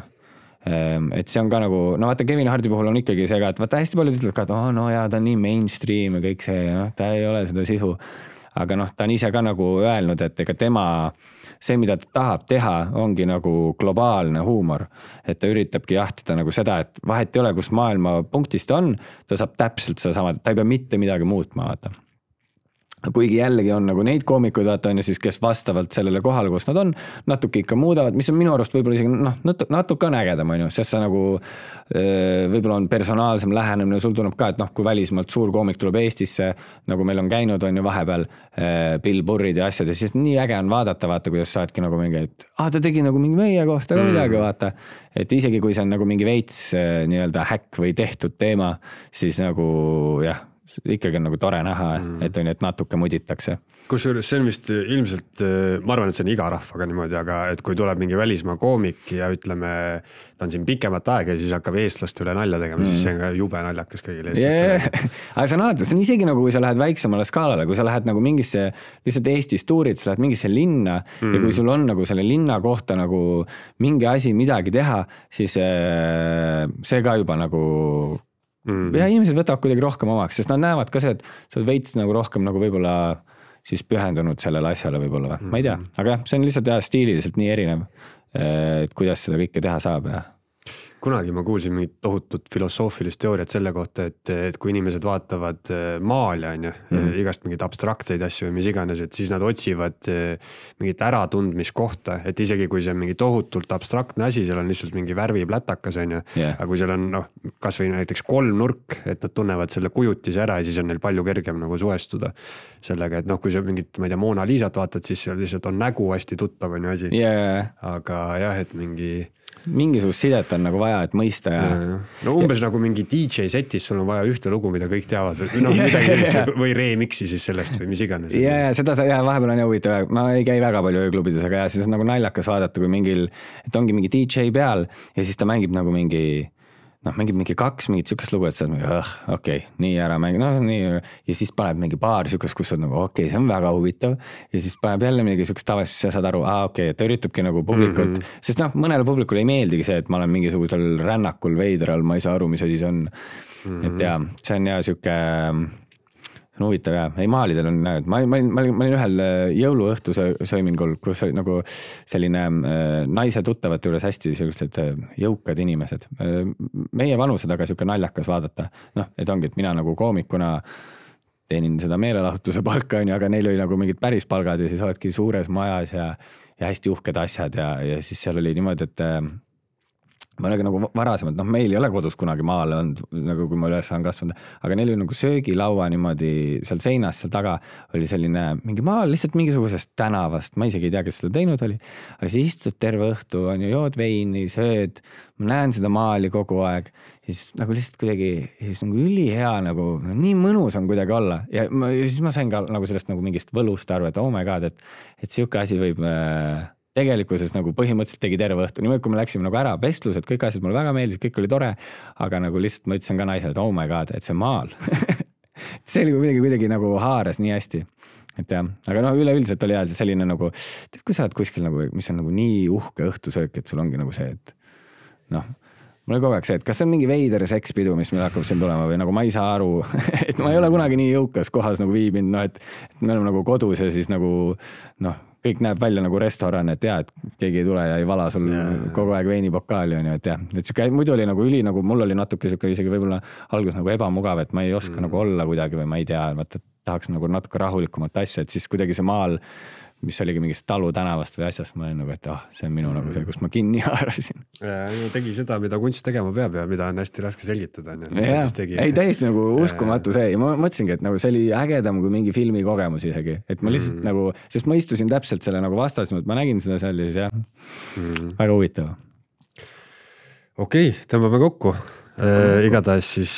Et see on ka nagu, no vaata Kevin Hardi puhul on ikkagi see ka, et vaata hästi paljud ütlevad ka, et no jaa, ta on nii mainstream ja kõik see, noh, ta ei ole seda sisu. Aga noh, ta on ise ka nagu öelnud, et ega tema, see mida ta tahab teha, ongi nagu globaalne huumor. Et ta üritabki jahtida nagu seda, et vahet ei ole, kus maailma punktist on, ta saab täpselt seda sama, ta ei pea mitte midagi muutma, vaata. kuigi jällegi on nagu neid koomikuid vaata on ju siis, kes vastavalt sellele kohale, kus nad on, natuke ikka muudavad, mis on minu arust võib-olla isegi natuke on ägedam, on ju, sest sa nagu võib-olla on personaalsem lähenemine, sul tuleb ka, et kui välismaalt suur koomik tuleb Eestisse, nagu meil on käinud, on ju vahepeal Bill Burrid ja asjad ja siis nii äge on vaadata, kuidas saadki nagu mingi, et ta tegi nagu mingi meie kohta ka midagi, vaata. Et isegi kui see on nagu mingi veits nii-öelda häkk või tehtud teema, siis nagu jah, ikkagi on nagu tore näha, et on, et natuke muditakse. Kusjuures see on vist ilmselt, ma arvan, et see on iga rahvaga niimoodi, aga et kui tuleb mingi välismaa koomik ja ütleme, ta on siin pikemat aega ja siis hakkab eestlaste üle nalja tegema, siis see on ka jube naljakas kõigile eestlastele. Aga sa näed, see on isegi nagu, kui sa lähed väiksemale skaalale, kui sa lähed nagu mingisse, lihtsalt Eestis tuurid, sa lähed mingisse linna ja kui sul on nagu selle linna kohta nagu mingi asi midagi teha, siis see ka juba nagu ja inimesed võtavad kuidagi rohkem omaks, sest nad näevad ka see, et sa oled veits nagu rohkem nagu võib-olla siis pühendunud sellele asjale võib-olla või, ma ei tea, aga jah, see on lihtsalt stiililiselt nii erinev, et kuidas seda kõike teha saab ja kunagi ma kuulsin mingit tohutut filosoofilist teooriat selle kohta, et kui inimesed vaatavad maali, on ju, igast mingit abstraktseid asju või mis iganes, et siis nad otsivad mingit äratundmiskohta, et isegi kui see on mingi tohutult abstraktne asi, seal on lihtsalt mingi värviplätakas, on ju, aga kui seal on kas või näiteks kolmnurk, et nad tunnevad selle kujutise ära ja siis on neil palju kergem nagu suestuda sellega, et kui sa mingit, ma ei tea, Mona Lisat vaatad, siis seal lihtsalt on nägu hästi tuttav on ju asi, aga jah, et mingisugust sidet on nagu vaja, et mõista ja no umbes nagu mingi DJ setis, sul on vaja ühte lugu, mida kõik teavad midagi sellist või remixi siis sellest või mis iganes. Seda vahepeal on huvitav, ma ei käi väga palju ööklubides, aga siis on nagu naljakas vaadata, kui mingil, et ongi mingi DJ peal ja siis ta mängib nagu mingi kaks mingit sükast lugu, et sa okei, nii ära mängib, nii ja siis paneb mingi paar sükast, kus on nagu okei, see on väga huvitav ja siis paneb jälle mingi sükast tavaliselt, sa saad aru, okei, ta üritabki nagu publikut, sest mõnele publikule ei meeldigi see, et ma olen mingisugusel rännakul veidral, ma ei saa aru, mis asi see on, et ja see on ja süke see on huvitav ja, ei maalidel on, ma olin ühel jõuluõhtu söömingul, kus nagu selline naise tuttavate juures hästi sellised jõukad inimesed. Meie vanused aga siuke naljakas vaadata, et ongi, et mina nagu koomikuna teenin seda meelelahutuse palka, aga neil oli nagu mingid päris palgad ja siis oledki suures majas ja hästi uhked asjad ja siis seal oli niimoodi, et ma olegi nagu varasemalt, meil ei ole kodus kunagi maale olnud, nagu kui ma üles olen kasvanud, aga neil oli nagu söögilaua niimoodi seal seinas, seal taga oli selline mingi maal, lihtsalt mingisugusest tänavast, ma isegi ei tea, kes seda teinud oli, aga siis istud terve õhtu, on ju, jood veini, sööd, ma näen seda maali kogu aeg, siis nagu lihtsalt kuidagi, siis nagu ülihea, nagu nii mõnus on kuidagi olla ja siis ma sain ka nagu sellest nagu mingist võlust aru, et oh my god, et siuke asi võib tegelikkuses nagu põhimõtteliselt tegi terve õhtu, niimoodi kui me läksime nagu ära vestlused, kõik asjad mulle väga meeldis, kõik oli tore, aga nagu lihtsalt ma ütlesin ka naisele, et oh my god, et see maal see oli kuidagi nagu haaras nii hästi, et jah, aga üleüldiselt oli selline nagu, tead, kui sa oled kuskil nagu, mis on nagu nii uhke õhtusöök, et sul ongi nagu see, et mul oli kogu aeg see, et kas see on mingi veider sekspidu, mis meil hakkab siin tulema või nagu ma ei saa aru, et ma ei ole kunagi nii jõukas kohas nagu viibinud, et me oleme nagu kodus ja siis nagu kõik näeb välja nagu restoran, et et keegi ei tule ja ei vala sul kogu aeg veinipokaali on ju, et jah, et muidu oli nagu nagu mul oli natuke isegi võib-olla algus nagu ebamugav, et ma ei oska nagu olla kuidagi või ma ei tea, tahaks nagu natuke rahulikumat asja, et siis kuidagi see maal, mis oligi mingist Talu tänavast või asjast, ma olin nagu, et see on minu nagu see, kus ma kinni haarasin. Tegi seda, mida kunst tegema peab ja mida on hästi raske selgitada. Ei, täiesti nagu uskumatu see ja ma mõtlesingi, et nagu see oli ägedam kui mingi filmi kogemus isegi, et ma lihtsalt nagu, sest ma istusin täpselt selle nagu vastas, ma nägin seda seal ja siis väga huvitav. Okei, tõmbame kokku. Igatahes siis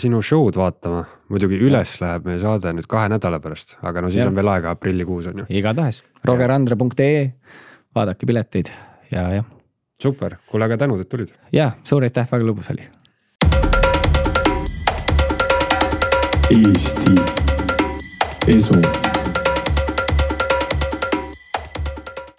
sinu show'd vaatama, muidugi üles läheb meie saade nüüd 2 nädala pärast, aga siis on veel aega aprillikuus on ju. Igatahes, rogerandre.ee, vaadake pileteid ja. Super, kuule aga tänud, et tulid. Ja, suur aitäh, väga lõbus oli. Eesti Esu.